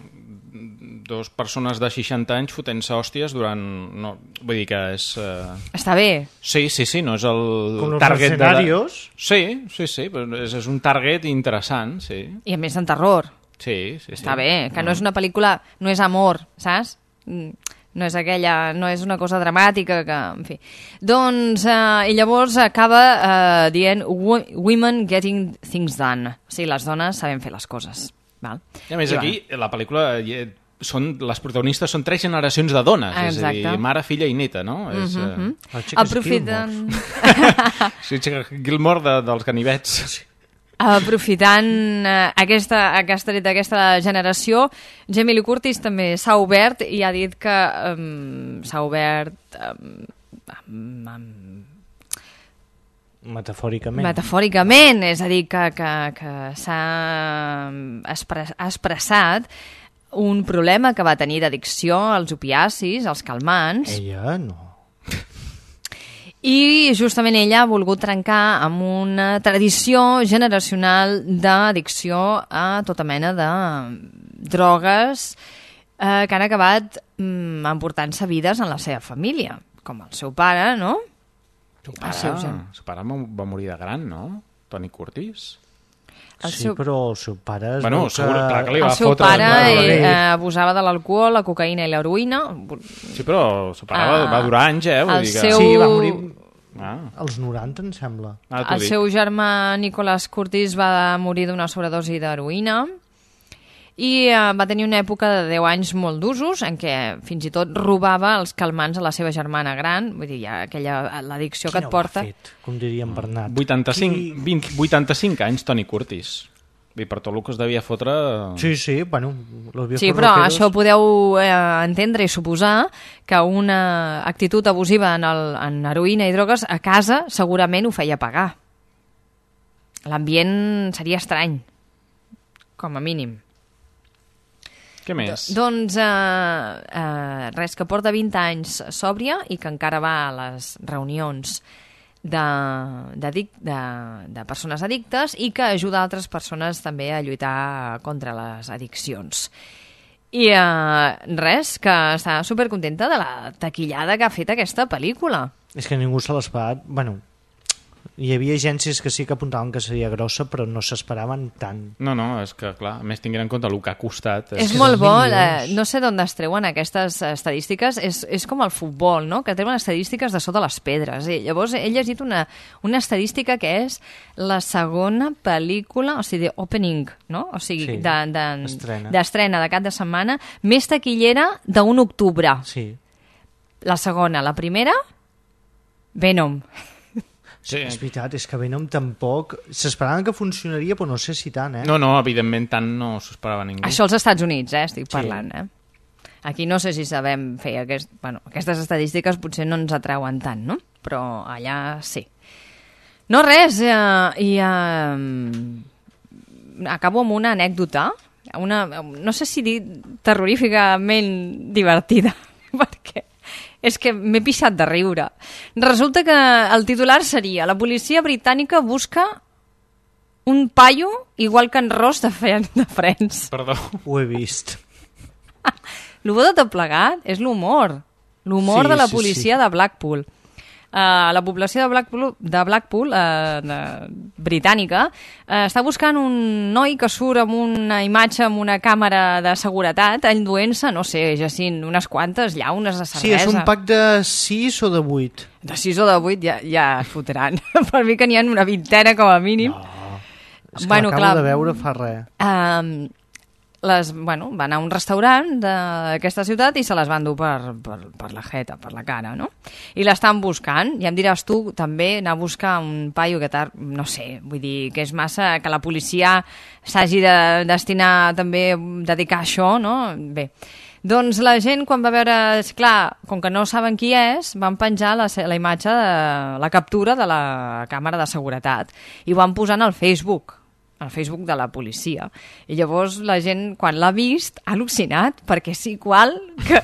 dos persones de seixanta anys fotent-se hòsties durant... No, vull dir que és... Uh... Està bé. Sí, sí, sí, no és el Com los target... mercenarios. De... Sí, sí, sí, però és, és un target interessant, sí. I a més en terror. Sí, sí, sí. Està bé, que no és una pel·lícula... No és amor, saps? Mm, no és aquella... No és una cosa dramàtica que... En fi. Doncs... Eh, I llavors acaba eh, dient "Wo- Women getting things done". O sigui, les dones sabem fer les coses. Val? I a més I aquí, la pel·lícula... hi- són, les protagonistes són tres generacions de dones, Exacte. és a dir, mare, filla i neta, no? Mm És, -hmm. uh... Aprofitant... Sí, Gilmore de, dels ganivets. Aprofitant uh, aquesta, aquesta, aquesta generació, Jamie Lee Curtis també s'ha obert i ha dit que um, s'ha obert... Um, um, um, Metafòricament. Metafòricament, és a dir, que, que, que s'ha expres, expressat un problema que va tenir d'addicció als opiacis, als calmants. Ella no. I justament ella ha volgut trencar amb una tradició generacional d'addicció a tota mena de drogues eh, que han acabat mm, emportant-se vides en la seva família, com el seu pare, no? El pare, el seu, el seu pare va morir de gran, no? Tony Curtis. El sí, seu... però el seu pare... Es bueno, segur, clar que li va el seu fotre... pare eh, abusava de l'alcohol, la cocaïna i l'heroïna. Sí, però el seu pare ah, va durar anys, eh? Vull el dir que... seu... Sí, va morir ah. als noranta, em sembla. Ah, el seu germà Nicholas Curtis va morir d'una sobredosi d'heroïna i eh, va tenir una època de deu anys molt d'usos en què fins i tot robava els calmants a la seva germana gran, vull dir, ja aquella l'addicció que et porta... Qui no ho ha fet, com diria en Bernat? vuitanta-cinc, Qui... vint, vuitanta-cinc anys, Tony Curtis. I per tot el que es devia fotre... Sí, sí, bueno... Sí, però roqueros... això ho podeu eh, entendre i suposar que una actitud abusiva en, el, en heroïna i drogues a casa segurament ho feia pagar. L'ambient seria estrany, com a mínim. Què més? Doncs eh, eh, res, que porta vint anys sòbria i que encara va a les reunions de, de, de, de persones addictes i que ajuda altres persones també a lluitar contra les addiccions. I eh, res, que està supercontenta de la taquillada que ha fet aquesta pel·lícula. És que ningú se l'esperat... Bueno, hi havia agències que sí que apuntaven que seria grossa, però no s'esperaven tant. No, no, és que, clar, a més tinguent en compte el que ha costat... És, és molt bo, eh, no sé d'on es treuen aquestes estadístiques, és, és com el futbol, no?, que treuen estadístiques de sota les pedres. I llavors he llegit una, una estadística que és la segona pel·lícula, o sigui, d'opening, no?, o sigui, sí, d'estrena de, de, de cap de setmana, més taquillera d'un octubre. Sí. La segona, la primera, Venom. Sí. És veritat, és que Venom tampoc... S'esperaven que funcionaria, però no sé si tant, eh? No, no, evidentment tant no s'ho esperava ningú. Això als Estats Units, eh, estic parlant, sí. eh? Aquí no sé si sabem fer aquest... bueno, aquestes estadístiques potser no ens atrauen tant, no? Però allà sí. No res, eh, i eh, acabo amb una anècdota, una, no sé si dir terroríficament divertida, perquè... és que m'he pixat de riure. Resulta que el titular seria: la policia britànica busca un paio igual que en Ross de, de Friends. Perdó. Ho he vist. El bo de tot plegat és l'humor. L'humor sí, de la sí, policia sí. de Blackpool. Uh, la població de Blackpool, de Blackpool uh, de, britànica uh, està buscant un noi que surt amb una imatge amb una càmera de seguretat enduent-se, no sé, Jacint, unes quantes llaunes de cervesa. Sí, és un pack de sis o de vuit. De sis o de vuit ja, ja es fotran. Per mi que n'hi ha una vintena com a mínim. No, és que bueno, l'acabo clar, de veure fa res. Uh, les, bueno, van a un restaurant d'aquesta ciutat i se les van dur per, per, per la jeta, per la cara, no? I l'estan buscant, i em diràs tu també anar a buscar un paio que tar... no sé, vull dir que és massa que la policia s'hagi de destinar també a dedicar a això, no? Bé, doncs la gent quan va veure, clar, com que no saben qui és, van penjar la, la imatge de la captura de la càmera de seguretat i ho van posar al Facebook al Facebook de la policia. I llavors la gent, quan l'ha vist, ha al·lucinat, perquè és igual que,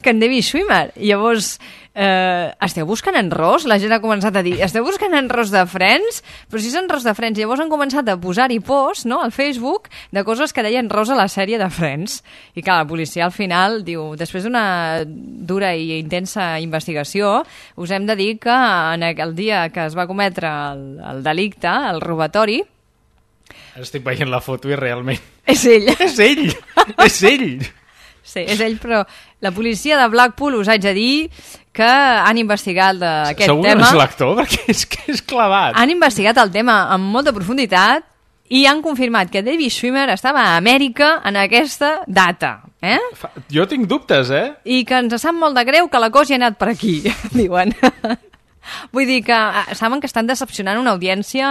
que en David Schwimmer. I llavors, eh, esteu buscant en Ross? La gent ha començat a dir, esteu buscant en Ross de Friends? Però si és en Ross de Friends. Llavors han començat a posar-hi posts, no?, al Facebook, de coses que deien Ross a la sèrie de Friends. I clar, la policia al final diu, després d'una dura i intensa investigació, us hem de dir que en el dia que es va cometre el, el delicte, el robatori... Estic veient la foto i realment... És ell. És ell! És ell! Sí, és ell, però la policia de Blackpool us haig de dir que han investigat aquest Segur tema... Segur que no és l'actor, perquè és que és clavat. Han investigat el tema amb molta profunditat i han confirmat que David Schwimmer estava a Amèrica en aquesta data. Eh? Fa... Jo tinc dubtes, eh? I que ens sap molt de greu que la cosa hi ha anat per aquí, diuen. Vull dir que saben que estan decepcionant una audiència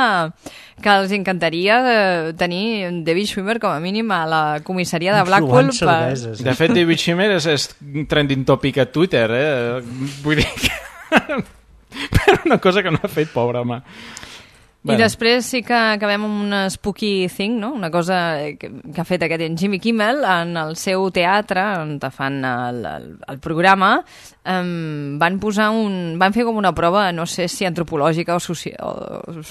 que els encantaria eh, tenir David Schwimmer com a mínim a la comissaria de Blackpool. Per... De fet, David Schwimmer és, és trending topic a Twitter, eh? Vull dir que... per una cosa que no ha fet, pobre home. I bueno. Després sí que acabem amb un spooky thing, no? Una cosa que, que ha fet aquest en Jimmy Kimmel en el seu teatre, on fan el, el, el programa, um, van posar un... van fer com una prova, no sé si antropològica o, soci, o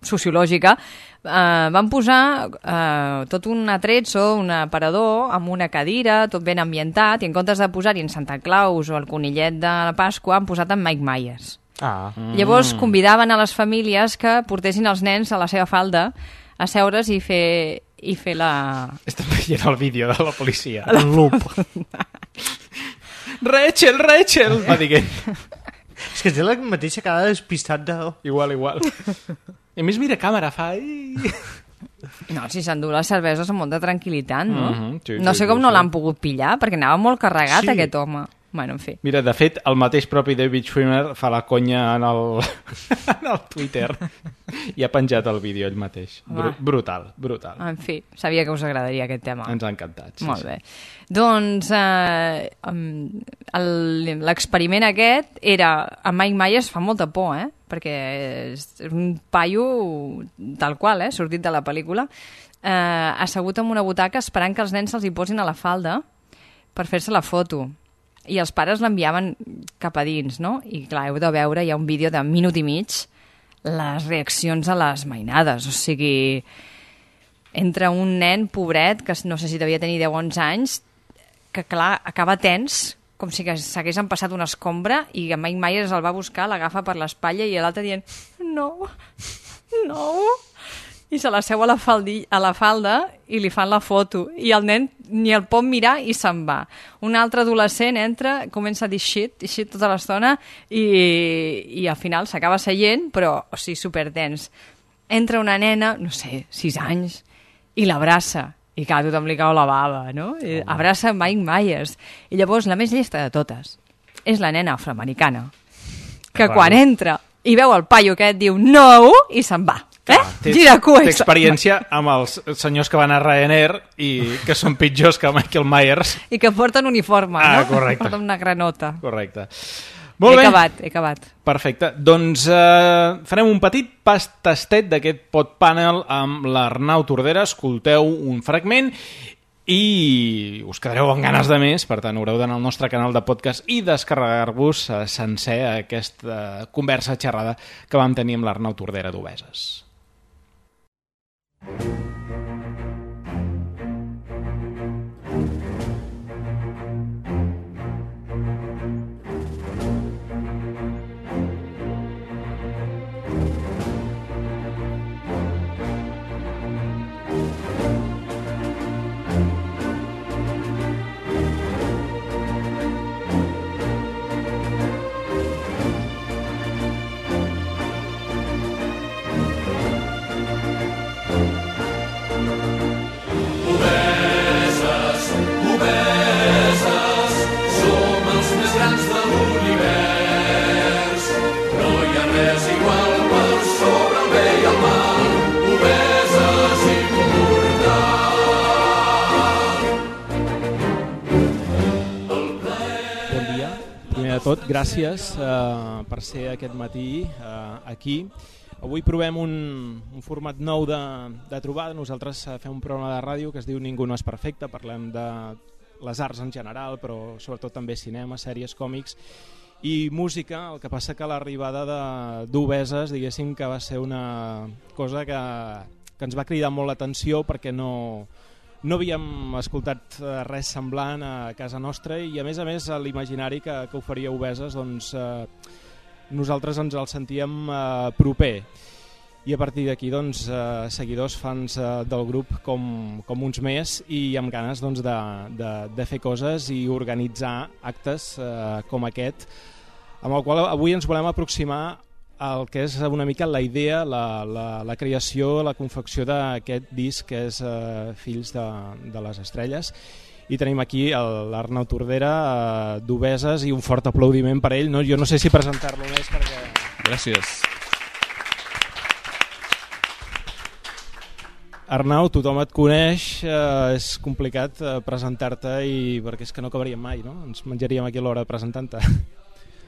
sociològica, uh, van posar uh, tot un atrezzo, un aparador, amb una cadira, tot ben ambientat, i en comptes de posar-hi en Santa Claus o el conillet de la Pasqua, han posat en Mike Myers. Ah. Mm. Llavors convidaven a les famílies que portessin els nens a la seva falda a seure's i fer, i fer la... Estem veient el vídeo de la policia. El loop. Rachel, Rachel! Va dient. És que té la mateixa cara despistat de... Igual, igual. I a més mira càmera, fa... No, si s'endú les cerveses amb molta tranquil·litat, no? Mm-hmm, sí, no sí, sé com sí, no sí. l'han pogut pillar, perquè anava molt carregat sí. aquest home. Bueno, en fi. Mira, de fet, el mateix propi David Schwimmer fa la conya en el, en el Twitter i ha penjat el vídeo ell mateix. Bru brutal, brutal. En fi, sabia que us agradaria aquest tema. Ens ha encantat. Sí, Molt sí. bé. Doncs eh, l'experiment aquest era... A Mike Myers fa molta por, eh? Perquè és un paio tal qual, eh? Sortit de la pel·lícula, eh, assegut en una butaca esperant que els nens se'ls hi posin a la falda per fer-se la foto. I els pares l'enviaven cap a dins, no? I clar, heu de veure, hi ha un vídeo de minut i mig, les reaccions a les mainades, o sigui, entre un nen pobret, que no sé si devia tenir deu o onze anys, que clar, acaba tens, com si s'hagués empassat una escombra, i en Mike Myers el va buscar, l'agafa per l'espatlla i l'altre dient, no, no... i se la seu a la, faldi, a la falda i li fan la foto. I el nen ni el pot mirar i se'n va. Un altre adolescent entra, comença a dir shit, i shit tota l'estona, i, i al final s'acaba seient, però, o sigui, superdens. Entra una nena, no sé, sis anys, i l'abraça. I clar, tothom li cau la bava, no? I abraça Mike Myers. I llavors, la més llesta de totes és la nena afroamericana, que quan entra i veu el paio aquest diu no, i se'n va. Eh? Gira cua. Té experiència amb els senyors que van a Ryanair i que són pitjors que Michael Myers. I que porten uniforme, ah, no? Correcte. Porten una granota. Correcte. Molt he bé. acabat, he acabat. Perfecte. Doncs eh, farem un petit pas tastet d'aquest pod panel amb l'Arnau Tordera. Escolteu un fragment i us quedareu amb ganes de més, per tant haureu d'anar al nostre canal de podcast i descarregar-vos eh, sencer aquesta conversa xerrada que vam tenir amb l'Arnau Tordera d'Obeses. Tot, gràcies uh, per ser aquest matí uh, aquí. Avui provem un, un format nou de, de trobada. Nosaltres uh, fem un programa de ràdio que es diu Ningú no és perfecte. Parlem de les arts en general, però sobretot també cinema, sèries, còmics i música. El que passa que l'arribada d'Obeses, diguéssim que va ser una cosa que, que ens va cridar molt l'atenció perquè no... No havíem escoltat res semblant a casa nostra i, a més a més, l'imaginari que, que oferia Obeses, doncs, eh, nosaltres ens el sentíem eh, proper. I a partir d'aquí, doncs, eh, seguidors, fans eh, del grup com, com uns més i amb ganes doncs, de, de, de fer coses i organitzar actes eh, com aquest, amb el qual avui ens volem aproximar el que és una mica la idea, la, la, la creació, la confecció d'aquest disc que és uh, Fills de, de les Estrelles. I tenim aquí l'Arnau Tordera uh, d'Obeses i un fort aplaudiment per ell. No? Jo no sé si presentar-lo més perquè... Gràcies. Arnau, tothom et coneix, uh, és complicat uh, presentar-te i perquè és que no acabaríem mai, no? Ens menjaríem aquí a l'hora presentant-te.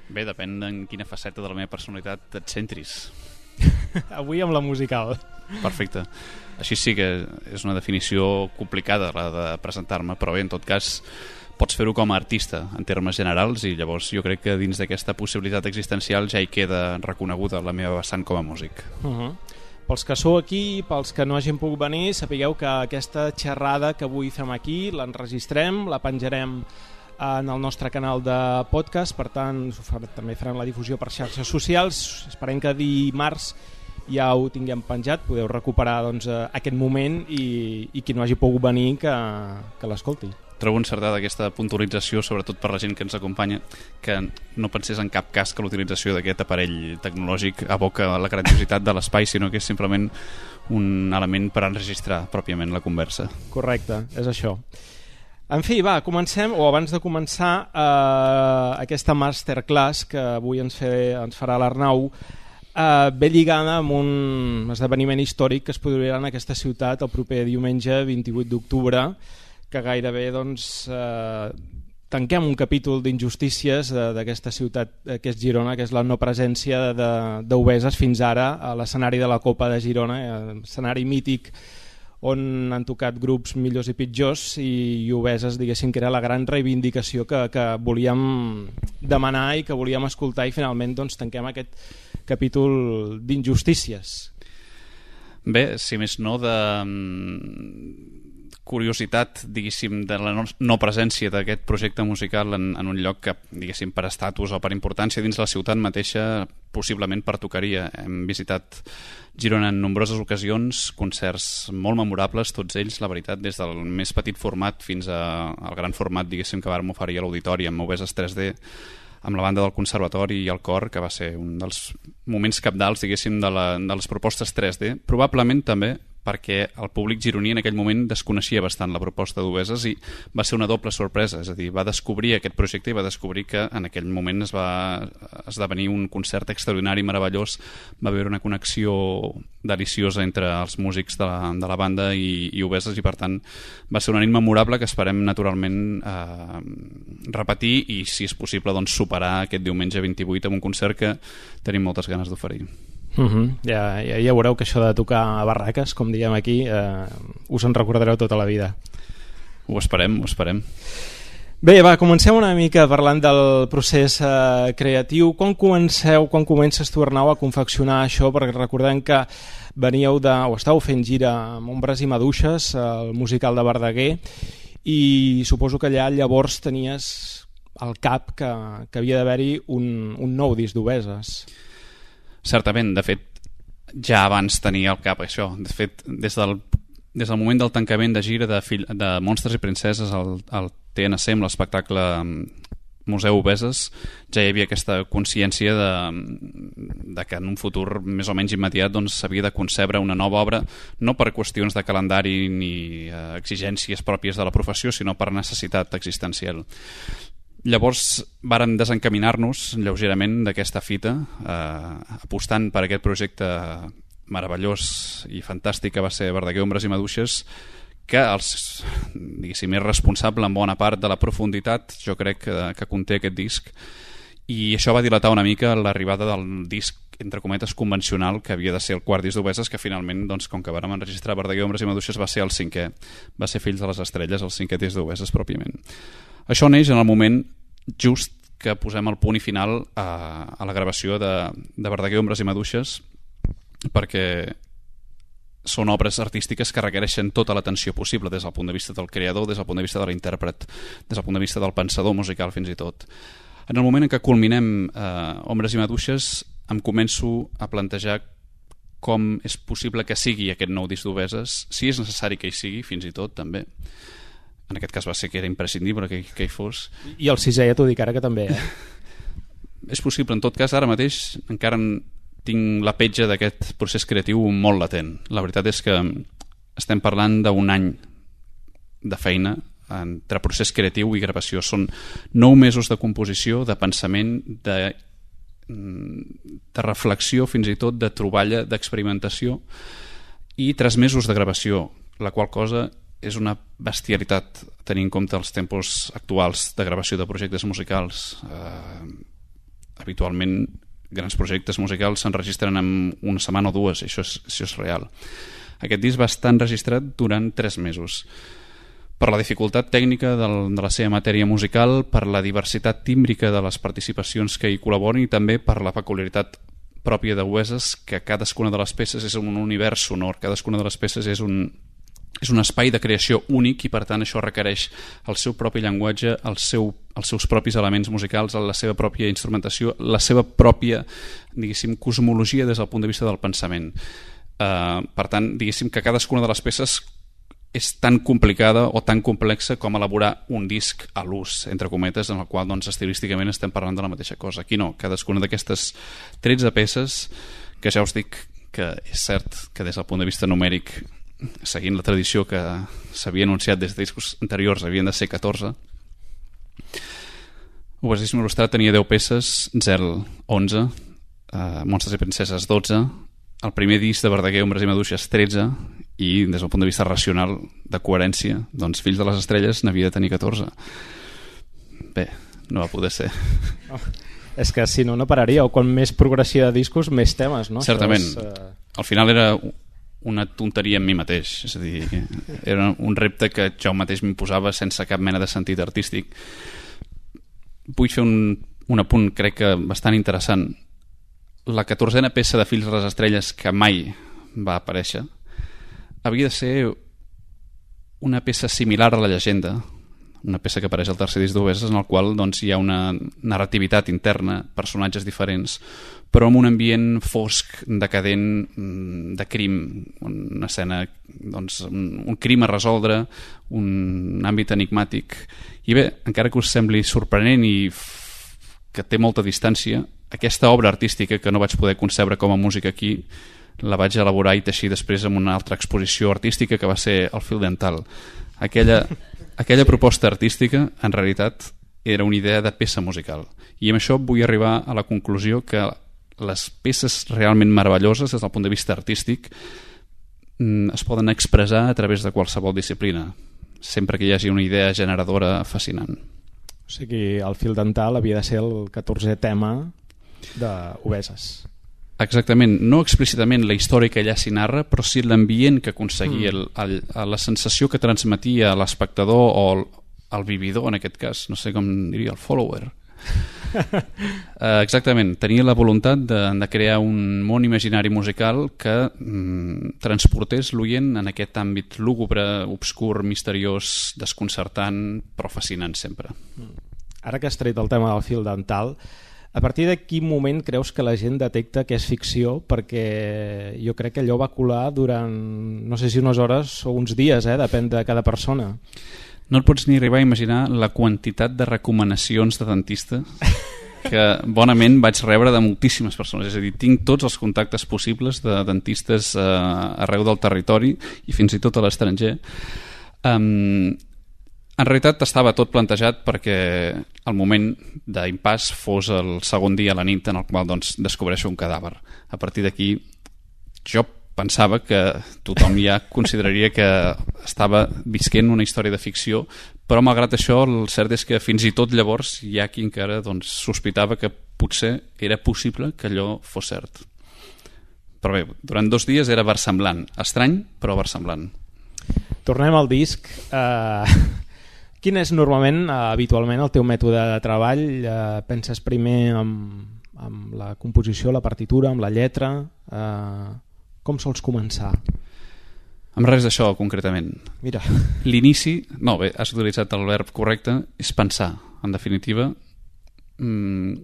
Bé, depèn en quina faceta de la meva personalitat et centris. Avui amb la musical. Perfecte. Així sí que és una definició complicada la de presentar-me, però bé, en tot cas pots fer-ho com a artista en termes generals i llavors jo crec que dins d'aquesta possibilitat existencial ja hi queda reconeguda la meva vessant com a músic. Uh-huh. Pels que sou aquí, pels que no hagin pogut venir, sapigueu que aquesta xerrada que avui fem aquí l'enregistrem, la penjarem en el nostre canal de podcast, per tant també farem la difusió per xarxes socials. Esperem que dimarts ja ho tinguem penjat, podeu recuperar doncs, aquest moment i, i qui no hagi pogut venir que, que l'escolti. Trobo encertada aquesta puntualització, sobretot per la gent que ens acompanya, que no pensés en cap cas que l'utilització d'aquest aparell tecnològic aboca la grandiositat de l'espai, sinó que és simplement un element per enregistrar pròpiament la conversa. Correcte, és això. En fi, va, comencem, o abans de començar eh, aquesta masterclass que avui ens, fe, ens farà l'Arnau, eh, ve lligada amb un esdeveniment històric que es produirà en aquesta ciutat el proper diumenge vint-i-vuit d'octubre, que gairebé doncs, eh, tanquem un capítol d'injustícies d'aquesta ciutat que és Girona, que és la no presència d'Obeses fins ara a l'escenari de la Copa de Girona, escenari mític on han tocat grups millors i pitjors, i, i Obeses, diguéssim, que era la gran reivindicació que, que volíem demanar i que volíem escoltar, i finalment doncs, tanquem aquest capítol d'injustícies. Bé, si més no, de curiositat, diguéssim, de la no presència d'aquest projecte musical en, en un lloc que, diguéssim, per estatus o per importància dins la ciutat mateixa, possiblement pertocaria. Hem visitat Girona en nombroses ocasions, concerts molt memorables, tots ells, la veritat, des del més petit format fins a, al gran format, diguéssim, que vàrem oferir a l'auditori amb Obeses tres D, amb la banda del Conservatori i el cor, que va ser un dels moments cabdals, diguéssim, de, la, de les propostes tres D, probablement també perquè el públic gironí en aquell moment desconeixia bastant la proposta d'Obeses i va ser una doble sorpresa, és a dir, va descobrir aquest projecte i va descobrir que en aquell moment es va esdevenir un concert extraordinari, meravellós, va haver una connexió deliciosa entre els músics de la, de la banda i, i Obeses, i per tant va ser una nit memorable que esperem naturalment eh, repetir i, si és possible, doncs, superar aquest diumenge vint-i-vuit amb un concert que tenim moltes ganes d'oferir. Uh-huh. ja, ja, ja veureu que això de tocar a barraques, com diem aquí, eh, us en recordareu tota la vida. Ho esperem, ho esperem. Bé, va, comencem una mica parlant del procés eh, creatiu. Quan comenceu, quan comences tu, Arnau, a confeccionar això? Perquè recordem que veníeu de, o estàveu fent gira amb Ombres i Maduixes, el musical de Verdaguer, i suposo que allà llavors tenies al cap que, que havia d'haver-hi un, un nou disc d'Obeses. Certament, de fet, ja abans tenia al cap això. De fet, des del, des del moment del tancament de gira de, fill, de Monstres i Princeses al, al T N C, amb l'espectacle Museu Obeses, ja hi havia aquesta consciència de, de que en un futur més o menys immediat doncs, s'havia de concebre una nova obra, no per qüestions de calendari ni eh, exigències pròpies de la professió, sinó per necessitat existencial. Llavors vàrem desencaminar-nos lleugerament d'aquesta fita, eh, apostant per aquest projecte meravellós i fantàstic que va ser Verdaguer, Ombres i Maduixes, que els, diguéssim, és responsable en bona part de la profunditat, jo crec, que, que conté aquest disc, i això va dilatar una mica l'arribada del disc, entre cometes, convencional, que havia de ser el quart disc d'Obeses, que finalment, doncs, com que vàrem enregistrar Verdaguer, Ombres i Maduixes, va ser el cinquè, va ser Fills de les Estrelles, el cinquè disc d'Obeses pròpiament. Això neix en el moment just que posem el punt i final a, a la gravació de, de Verdaguer, Ombres i Maduixes, perquè són obres artístiques que requereixen tota l'atenció possible des del punt de vista del creador, des del punt de vista de l'intèrpret, des del punt de vista del pensador musical fins i tot. En el moment en què culminem eh, Ombres i Maduixes, em començo a plantejar com és possible que sigui aquest nou disc d'Obeses, si és necessari que hi sigui, fins i tot també. En aquest cas va ser que era imprescindible que, que hi fos. I el sisè ja t'ho dic ara que també, eh? És possible, en tot cas, ara mateix encara tinc la petja d'aquest procés creatiu molt latent. La veritat és que estem parlant d'un any de feina entre procés creatiu i gravació. Són nou mesos de composició, de pensament, de, de reflexió, fins i tot de troballa, d'experimentació, i tres mesos de gravació, la qual cosa és una bestialitat tenint en compte els tempos actuals de gravació de projectes musicals. Eh, habitualment grans projectes musicals s'enregistren en una setmana o dues, això és, això és real. Aquest disc va estar enregistrat durant tres mesos. Per la dificultat tècnica del, de la seva matèria musical, per la diversitat tímbrica de les participacions que hi col·laboren i també per la peculiaritat pròpia de Oasis, que cadascuna de les peces és un univers sonor, cadascuna de les peces és un, és un espai de creació únic i per tant això requereix el seu propi llenguatge, el seu, els seus propis elements musicals, la seva pròpia instrumentació, la seva pròpia, diguéssim, cosmologia des del punt de vista del pensament. Uh, per tant, diguéssim que cadascuna de les peces és tan complicada o tan complexa com elaborar un disc a l'ús, entre cometes, en el qual doncs, estilísticament estem parlant de la mateixa cosa. Aquí no, cadascuna d'aquestes tretze peces, que ja us dic que és cert que des del punt de vista numèric, seguint la tradició que s'havia anunciat des de discos anteriors, havien de ser catorze. Oasis Il·lustrat tenia deu peces, Zel onze, uh, Monstres i Princeses dotze, el primer disc de Verdaguer, Ombres i Maduixes tretze, i des del punt de vista racional de coherència, doncs Fills de les Estrelles n'havia de tenir catorze. Bé, no va poder ser. Oh, és que si no, no pararia, o quan més progressió de discos, més temes, no? Certament. És, uh... Al final era una tonteria en mi mateix, és a dir, era un repte que jo mateix m'imposava sense cap mena de sentit artístic. Vull fer un, un apunt, crec que bastant interessant. La catorzena peça de Fills de les Estrelles que mai va aparèixer havia de ser una peça similar a la llegenda, una peça que apareix al tercer disc d'Oasis, en el qual doncs, hi ha una narrativitat interna, personatges diferents, però amb un ambient fosc, decadent, de crim, una escena, doncs, un, un crim a resoldre, un àmbit enigmàtic. I bé, encara que us sembli sorprenent i que té molta distància, aquesta obra artística que no vaig poder concebre com a música aquí, la vaig elaborar i teixir després amb una altra exposició artística que va ser el Fil Dental. Aquella, aquella proposta artística, en realitat, era una idea de peça musical. I amb això vull arribar a la conclusió que les peces realment meravelloses, des del punt de vista artístic, es poden expressar a través de qualsevol disciplina, sempre que hi hagi una idea generadora fascinant. O sigui, el Fil Dental havia de ser el catorzè tema d'Oasis. Exactament, no explícitament la història que allà s'hi narra, però sí l'ambient que aconseguia, mm. el, el, la sensació que transmetia a l'espectador o el, el vividor, en aquest cas, no sé com diria, el follower. uh, exactament, tenia la voluntat de, de crear un món imaginari musical que mm, transportés l'oient en aquest àmbit lúgubre, obscur, misteriós, desconcertant, però fascinant sempre. Ara que has tret el tema del Fil Dental, a partir de quin moment creus que la gent detecta que és ficció? Perquè jo crec que allò va colar durant, no sé si unes hores o uns dies, eh? Depèn de cada persona. No et pots ni arribar a imaginar la quantitat de recomanacions de dentista que bonament vaig rebre de moltíssimes persones. És a dir, tinc tots els contactes possibles de dentistes eh, arreu del territori i fins i tot a l'estranger. Um, En realitat estava tot plantejat perquè el moment d'impàs fos el segon dia a la nit en el qual doncs, descobreixo un cadàver. A partir d'aquí jo pensava que tothom ja consideraria que estava visquent una història de ficció, però malgrat això el cert és que fins i tot llavors hi ha qui encara doncs, sospitava que potser era possible que allò fos cert. Però bé, durant dos dies era versemblant, estrany però versemblant. Tornem al disc. Uh... Quin és normalment, eh, habitualment, el teu mètode de treball? Eh, penses primer amb, amb la composició, la partitura, amb la lletra? Eh, com sols començar? Amb res d'això, concretament. Mira. L'inici, no, bé, has utilitzat el verb correcte, és pensar. En definitiva, mmm,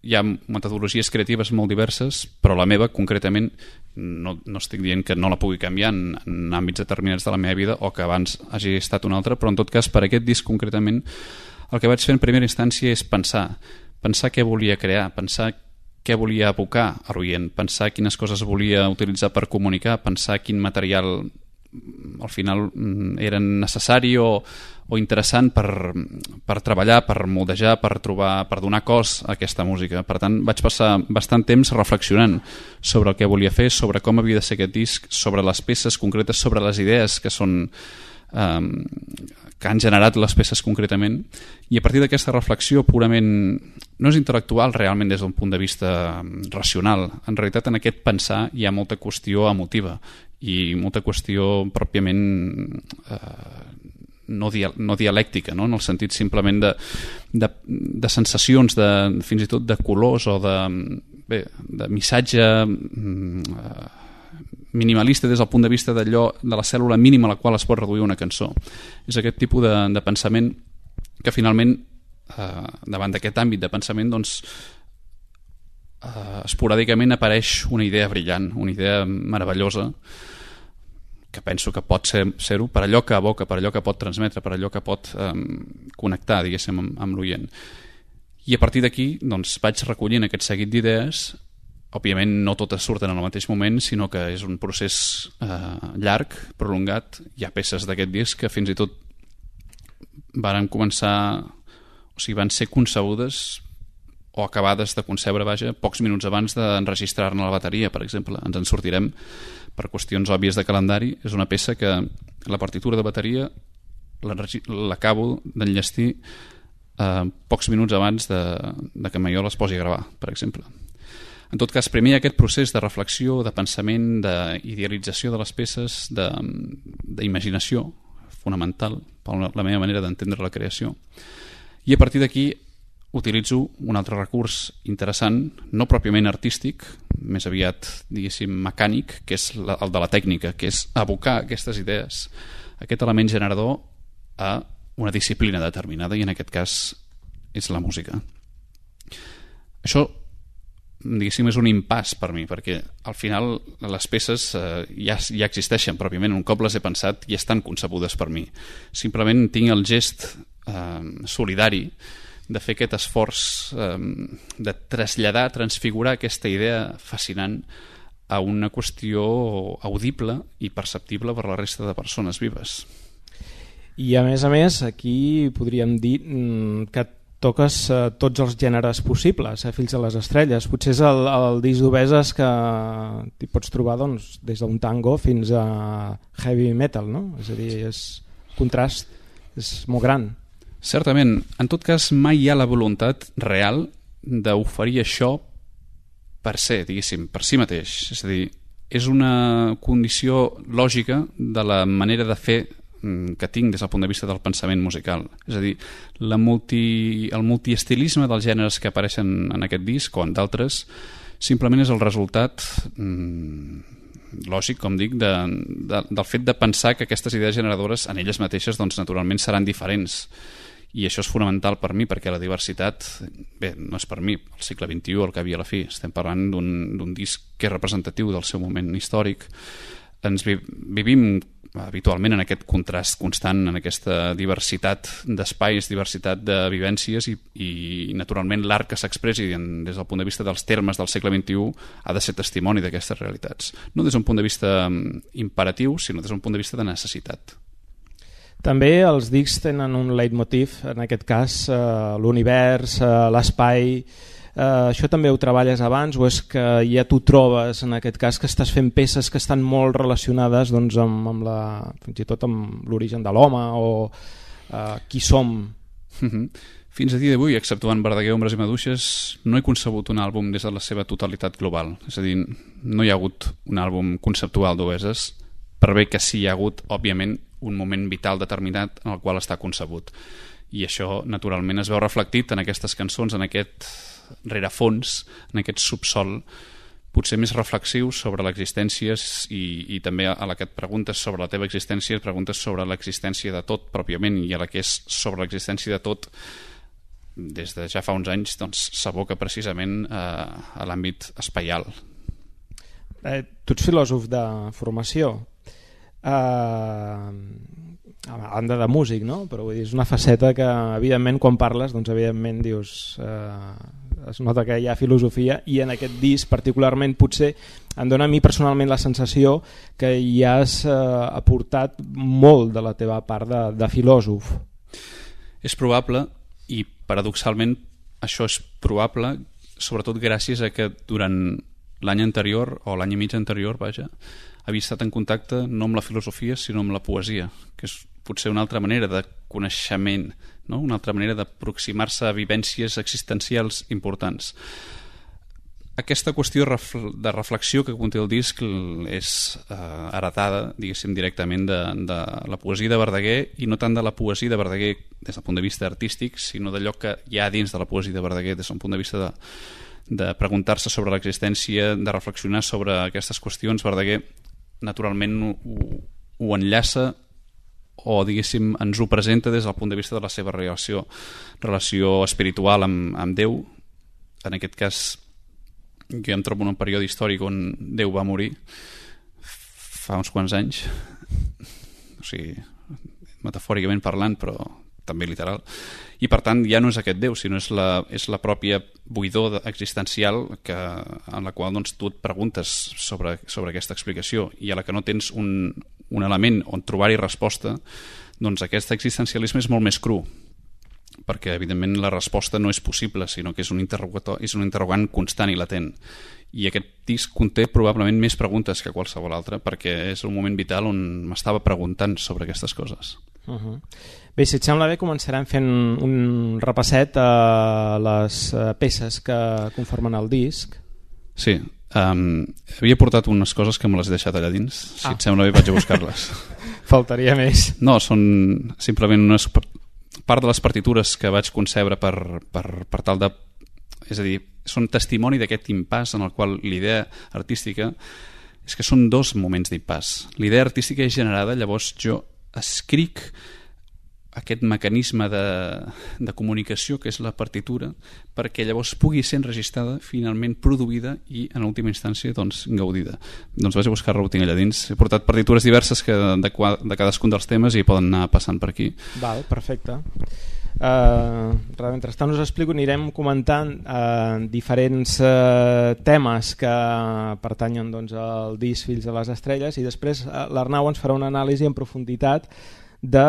hi ha metodologies creatives molt diverses, però la meva, concretament, no, no estic dient que no la pugui canviar en, en àmbits determinats de la meva vida o que abans hagi estat una altra, però en tot cas, per aquest disc concretament, el que vaig fer en primera instància és pensar, pensar què volia crear, pensar què volia evocar a l'oient, pensar quines coses volia utilitzar per comunicar, pensar quin material al final era necessari o, o interessant per, per treballar, per moldejar, per trobar, per donar cos a aquesta música. Per tant, vaig passar bastant temps reflexionant sobre el que volia fer, sobre com havia de ser aquest disc, sobre les peces concretes, sobre les idees que són eh, que han generat les peces concretament, i a partir d'aquesta reflexió purament, no és intel·lectual realment des d'un punt de vista racional, en realitat en aquest pensar hi ha molta qüestió emotiva i molta qüestió pròpiament eh, no, dia, no dialèctica, no? En el sentit simplement de, de, de sensacions, de, fins i tot de colors o de, bé, de missatge eh, minimalista des del punt de vista d'allò, de la cèl·lula mínima a la qual es pot reduir una cançó. És aquest tipus de, de pensament que finalment eh, davant d'aquest àmbit de pensament doncs eh, esporàdicament apareix una idea brillant, una idea meravellosa que penso que pot ser, ser-ho per allò que evoca, per allò que pot transmetre, per allò que pot eh, connectar, diguéssim, amb, amb l'oient. I a partir d'aquí doncs, vaig recollint aquest seguit d'idees. Òbviament no totes surten en el mateix moment, sinó que és un procés eh, llarg, prolongat. Hi ha peces d'aquest disc que fins i tot varen començar, o sigui, van ser concebudes o acabades de concebre, vaja, pocs minuts abans d'enregistrar-ne la bateria, per exemple. Ens en sortirem per qüestions òbvies de calendari. És una peça que la partitura de bateria l'acabo d'enllestir eh, pocs minuts abans de, de que Maiol es posi a gravar, per exemple. En tot cas, primer hi ha aquest procés de reflexió, de pensament, d'idealització de les peces, d'imaginació fonamental per la meva manera d'entendre la creació. I a partir d'aquí utilitzo un altre recurs interessant, no pròpiament artístic, més aviat, diguéssim, mecànic, que és el de la tècnica, que és abocar aquestes idees, aquest element generador a una disciplina determinada, i en aquest cas és la música. Això, diguéssim, és un impàs per mi, perquè al final les peces eh, ja, ja existeixen pròpiament, un cop les he pensat i estan concebudes per mi. Simplement tinc el gest eh, solidari de fer aquest esforç eh, de traslladar, transfigurar aquesta idea fascinant a una qüestió audible i perceptible per la resta de persones vives. I a més a més, aquí podríem dir que toques eh, tots els gèneres possibles, eh, Fills de les estrelles. Potser és el, el disc d'Obeses que t'hi pots trobar doncs, des d'un tango fins a heavy metal, no? És a dir, és contrast, és molt gran. Certament. En tot cas, mai hi ha la voluntat real d'oferir això per ser, diguéssim, per si mateix. És a dir, és una condició lògica de la manera de fer que tinc des del punt de vista del pensament musical. És a dir, la multi, el multiestilisme dels gèneres que apareixen en aquest disc o en d'altres simplement és el resultat mm, lògic, com dic, de, de, del fet de pensar que aquestes idees generadores en elles mateixes doncs, naturalment seran diferents, i això és fonamental per mi, perquè la diversitat, bé, no és per mi, al segle vint-i-u, al cap i a la fi, estem parlant d'un disc que és representatiu del seu moment històric. Ens vi, vivim habitualment en aquest contrast constant, en aquesta diversitat d'espais, diversitat de vivències, i, i naturalment l'art que s'expressi des del punt de vista dels termes del segle vint-i-u ha de ser testimoni d'aquestes realitats. No des d'un punt de vista imperatiu, sinó des d'un punt de vista de necessitat. També els discs tenen un leitmotiv, en aquest cas eh, l'univers, eh, l'espai. Uh, això també ho treballes abans o és que ja t'ho trobes en aquest cas que estàs fent peces que estan molt relacionades doncs, amb, amb la, fins i tot amb l'origen de l'home o uh, qui som? Fins a dia d'avui, exceptuant Verdaguer, Ombres i Maduixes, no he concebut un àlbum des de la seva totalitat global. És a dir, no hi ha hagut un àlbum conceptual d'Obeses, per bé que sí hi ha hagut, òbviament, un moment vital determinat en el qual està concebut. I això, naturalment, es veu reflectit en aquestes cançons, en aquest rerefons, en aquest subsol potser més reflexiu sobre l'existència, i, i també a la que et preguntes sobre la teva existència, et preguntes sobre l'existència de tot pròpiament, i a la que és sobre l'existència de tot des de ja fa uns anys doncs s'aboca precisament a, a l'àmbit espaial. Eh, tu ets filòsof de formació, eh, a banda de músic, no? Però vull dir, és una faceta que evidentment quan parles doncs evidentment dius eh, es nota que hi ha filosofia, i en aquest disc particularment potser em dona a mi personalment la sensació que hi has eh, aportat molt de la teva part de, de filòsof. És probable, i paradoxalment això és probable sobretot gràcies a que durant l'any anterior o l'any i mig anterior, vaja, havia estat en contacte no amb la filosofia sinó amb la poesia, que és potser una altra manera de coneixement, no? Una altra manera d'aproximar-se a vivències existencials importants. Aquesta qüestió de reflexió que conté el disc és eh, heretada, diguéssim, directament de, de la poesia de Verdaguer, i no tant de la poesia de Verdaguer des del punt de vista artístic, sinó d'allò que hi ha dins de la poesia de Verdaguer des del punt de vista de, de preguntar-se sobre l'existència, de reflexionar sobre aquestes qüestions. Verdaguer naturalment ho, ho enllaça o diguéssim ens ho presenta des del punt de vista de la seva relació, relació espiritual amb, amb Déu. En aquest cas jo em trobo en un període històric on Déu va morir fa uns quants anys, o sigui, metafòricament parlant, però també literal, i per tant ja no és aquest Déu, sinó és la, és la pròpia buidor existencial que, en la qual doncs, tu et preguntes sobre, sobre aquesta explicació, i a la que no tens un, un element on trobar-hi resposta, doncs aquest existencialisme és molt més cru, perquè evidentment la resposta no és possible, sinó que és un interrogatori, és un interrogant constant i latent, i aquest disc conté probablement més preguntes que qualsevol altre, perquè és un moment vital on m'estava preguntant sobre aquestes coses. Uh-huh. Bé, si et sembla bé, començarem fent un repasset a les peces que conformen el disc. Sí, um, havia portat unes coses que me les he deixat allà dins. Si ah. et sembla bé vaig a buscar-les. Faltaria més. No, són simplement unes part de les partitures que vaig concebre per, per, per tal de... És a dir, són testimoni d'aquest impàs en el qual l'idea artística és que són dos moments d'impàs. L'idea artística és generada, llavors jo escric aquest mecanisme de, de comunicació que és la partitura, perquè llavors pugui ser enregistrada, finalment produïda i en última instància doncs, gaudida. Doncs vaig a buscar-la, ho tinc allà dins. He portat partitures diverses que de, de cadascun dels temes i poden anar passant per aquí. Val, perfecte. Uh, mentrestant us explico, anirem comentant uh, diferents uh, temes que pertanyen doncs, al disc Fills de les Estrelles, i després uh, l'Arnau ens farà una anàlisi en profunditat de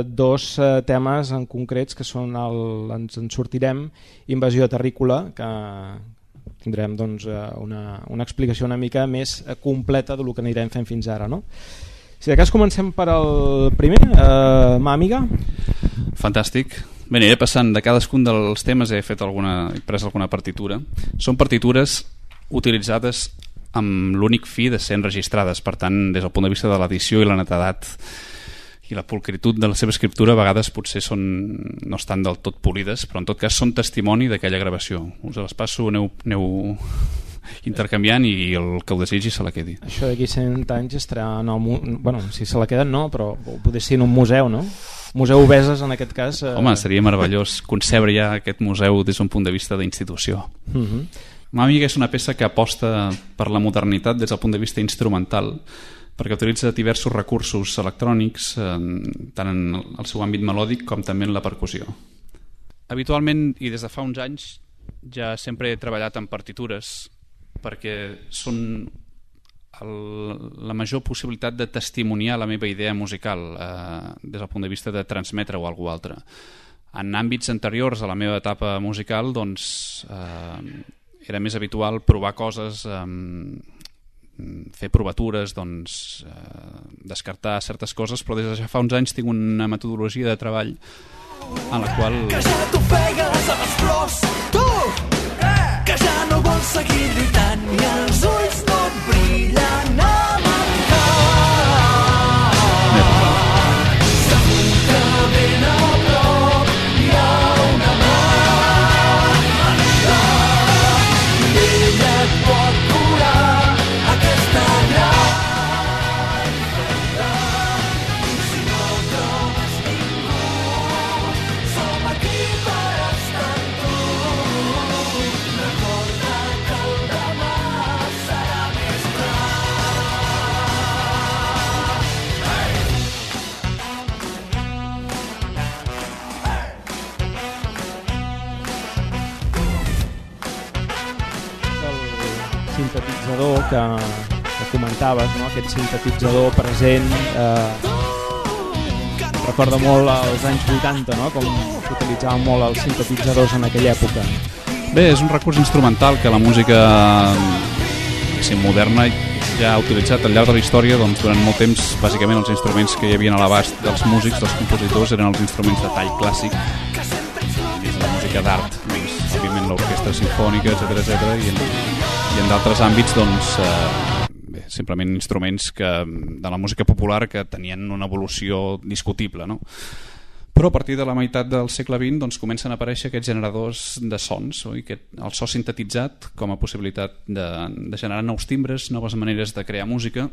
dos uh, temes en concrets que són el, ens en sortirem, Invasió Terrícola, que tindrem doncs, una, una explicació una mica més completa del que anirem fent fins ara, no? Si de cas comencem per el primer, uh, Màmiga. Fantàstic. Bé, aniré passant de cadascun dels temes, he fet alguna, he pres alguna partitura. Són partitures utilitzades amb l'únic fi de ser enregistrades, per tant, des del punt de vista de l'edició i la netedat i la pulcritud de la seva escriptura, a vegades potser són, no estan del tot polides, però en tot cas són testimoni d'aquella gravació. Us les passo, aneu, aneu intercanviant i el que ho desitgi se la quedi. Això d'aquí cent anys estarà en el mu... bueno, si se la queden no, però potser ser en un museu, no? Museu Obeses en aquest cas. Eh... Home, seria meravellós concebre ja aquest museu des d'un punt de vista d'institució. Uh-huh. Màmiga és una peça que aposta per la modernitat des del punt de vista instrumental, perquè utilitza diversos recursos electrònics, eh, tant en el seu àmbit melòdic com també en la percussió. Habitualment, i des de fa uns anys, ja sempre he treballat en partitures perquè són el, la major possibilitat de testimoniar la meva idea musical eh, des del punt de vista de transmetre o alguna altra. En àmbits anteriors a la meva etapa musical doncs, eh, era més habitual provar coses, eh, fer provatures, doncs, eh, descartar certes coses, però des de ja fa uns anys tinc una metodologia de treball en la qual... Que ja t'ofegues a les flors, tu! Que ja no vols seguir lluitant i els ulls no et brillen amb el cap. Segur que ben a prop hi ha una mà amiga i ella et pot curar aquesta gran ferida. I si no trobes ningú, som aquí per estar amb tu. Recorda que el demà serà més clar. sintetitzador que, que comentaves, no? Aquest sintetitzador present eh, recorda molt als anys vuitanta, no? Com s'utilitzaven molt els sintetitzadors en aquella època. Bé, és un recurs instrumental que la música si moderna ja ha utilitzat al llarg de la història. Doncs, durant molt temps, bàsicament, els instruments que hi havia a l'abast dels músics, dels compositors, eren els instruments de tall clàssic. És la música d'art, doncs, òbviament l'orquestra simfònica, etcètera, etcètera, i en, i en d'altres àmbits, doncs, eh, bé, simplement instruments que, de la música popular que tenien una evolució discutible, no? Però a partir de la meitat del segle vint doncs, comencen a aparèixer aquests generadors de sons, oi? Que el so sintetitzat com a possibilitat de, de generar nous timbres, noves maneres de crear música,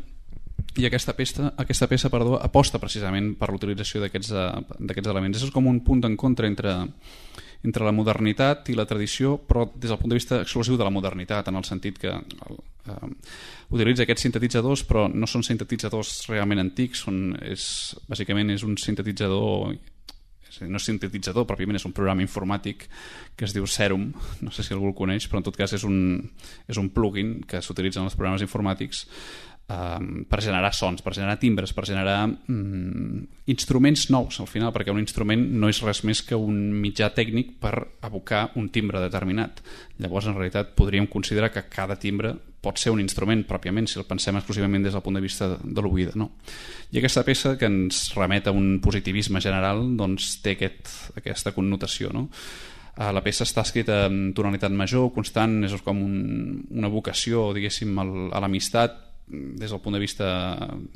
i aquesta peça, aquesta peça perdó, aposta precisament per l'utilització d'aquests elements. És com un punt d'encontre entre, entre la modernitat i la tradició, però des del punt de vista exclusiu de la modernitat, en el sentit que eh, utilitza aquests sintetitzadors, però no són sintetitzadors realment antics, són, és, bàsicament és un sintetitzador... no és sintetitzador, pròpiament és un programa informàtic que es diu Serum, no sé si algú el coneix, però en tot cas és un, és un plugin que s'utilitza en els programes informàtics eh, per generar sons, per generar timbres, per generar mm, instruments nous al final, perquè un instrument no és res més que un mitjà tècnic per evocar un timbre determinat. Llavors, en realitat, podríem considerar que cada timbre pot ser un instrument pròpiament, si el pensem exclusivament des del punt de vista de l'oïda, no? I aquesta peça, que ens remet a un positivisme general, doncs té aquest, aquesta connotació, no? La peça està escrita en tonalitat major, constant, és com un, una vocació, diguéssim, a l'amistat, des del punt de vista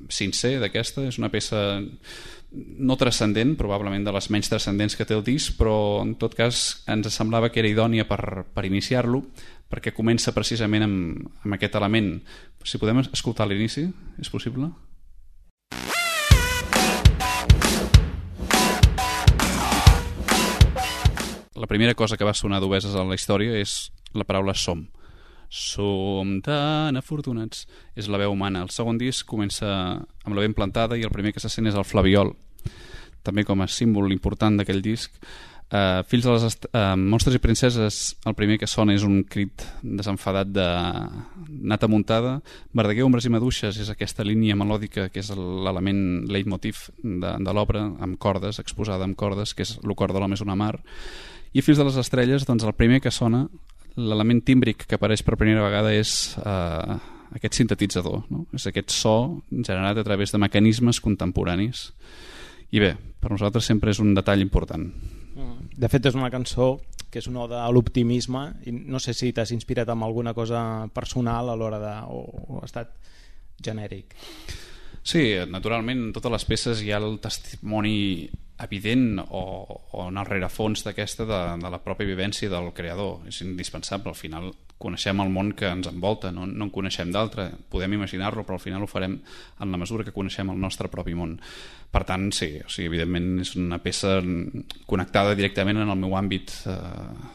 sincer d'aquesta. És una peça no transcendent, probablement de les menys transcendents que té el disc, però en tot cas ens semblava que era idònia per, per iniciar-lo, perquè comença precisament amb, amb aquest element. Si podem escoltar l'inici, és possible? La primera cosa que va sonar d'obeses a la història és la paraula som. Som tan afortunats. És la veu humana. El segon disc comença amb la veu plantada i el primer que se sent és el flabiol, també com a símbol important d'aquell disc. Uh, Fills de les est uh, Monstres i Princeses, el primer que sona és un crit desenfadat de nata muntada. Verdaguer, ombres i maduixes és aquesta línia melòdica que és l'element leitmotiv de, de l'obra, amb cordes, exposada amb cordes, que és el cor de l'home és una mar. I Fills de les estrelles, doncs el primer que sona, l'element tímbric que apareix per primera vegada és uh, aquest sintetitzador, no? És aquest so generat a través de mecanismes contemporanis. I bé, per nosaltres sempre és un detall important. De fet, és una cançó que és una oda a l'optimisme, i no sé si t'has inspirat en alguna cosa personal a l'hora de... o, o ha estat genèric. Sí, naturalment, en totes les peces hi ha el testimoni evident o, o en el rerefons d'aquesta de, de la pròpia vivència del creador. És indispensable, al final coneixem el món que ens envolta, no, no en coneixem d'altre, podem imaginar-lo, però al final ho farem en la mesura que coneixem el nostre propi món. Per tant, sí, o sigui, evidentment és una peça connectada directament en el meu àmbit eh,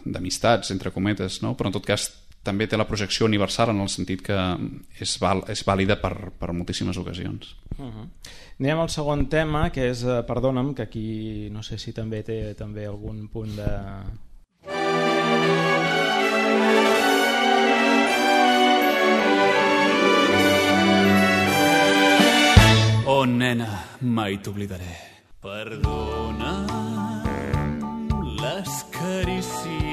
d'amistats, entre cometes, no? Però en tot cas també té la projecció universal en el sentit que és, val, és vàlida per, per moltíssimes ocasions. Uh-huh. Anem al segon tema, que és eh, Perdona'm, que aquí no sé si també té també algun punt de... Oh, nena, mai t'oblidaré. Perdona les carícies,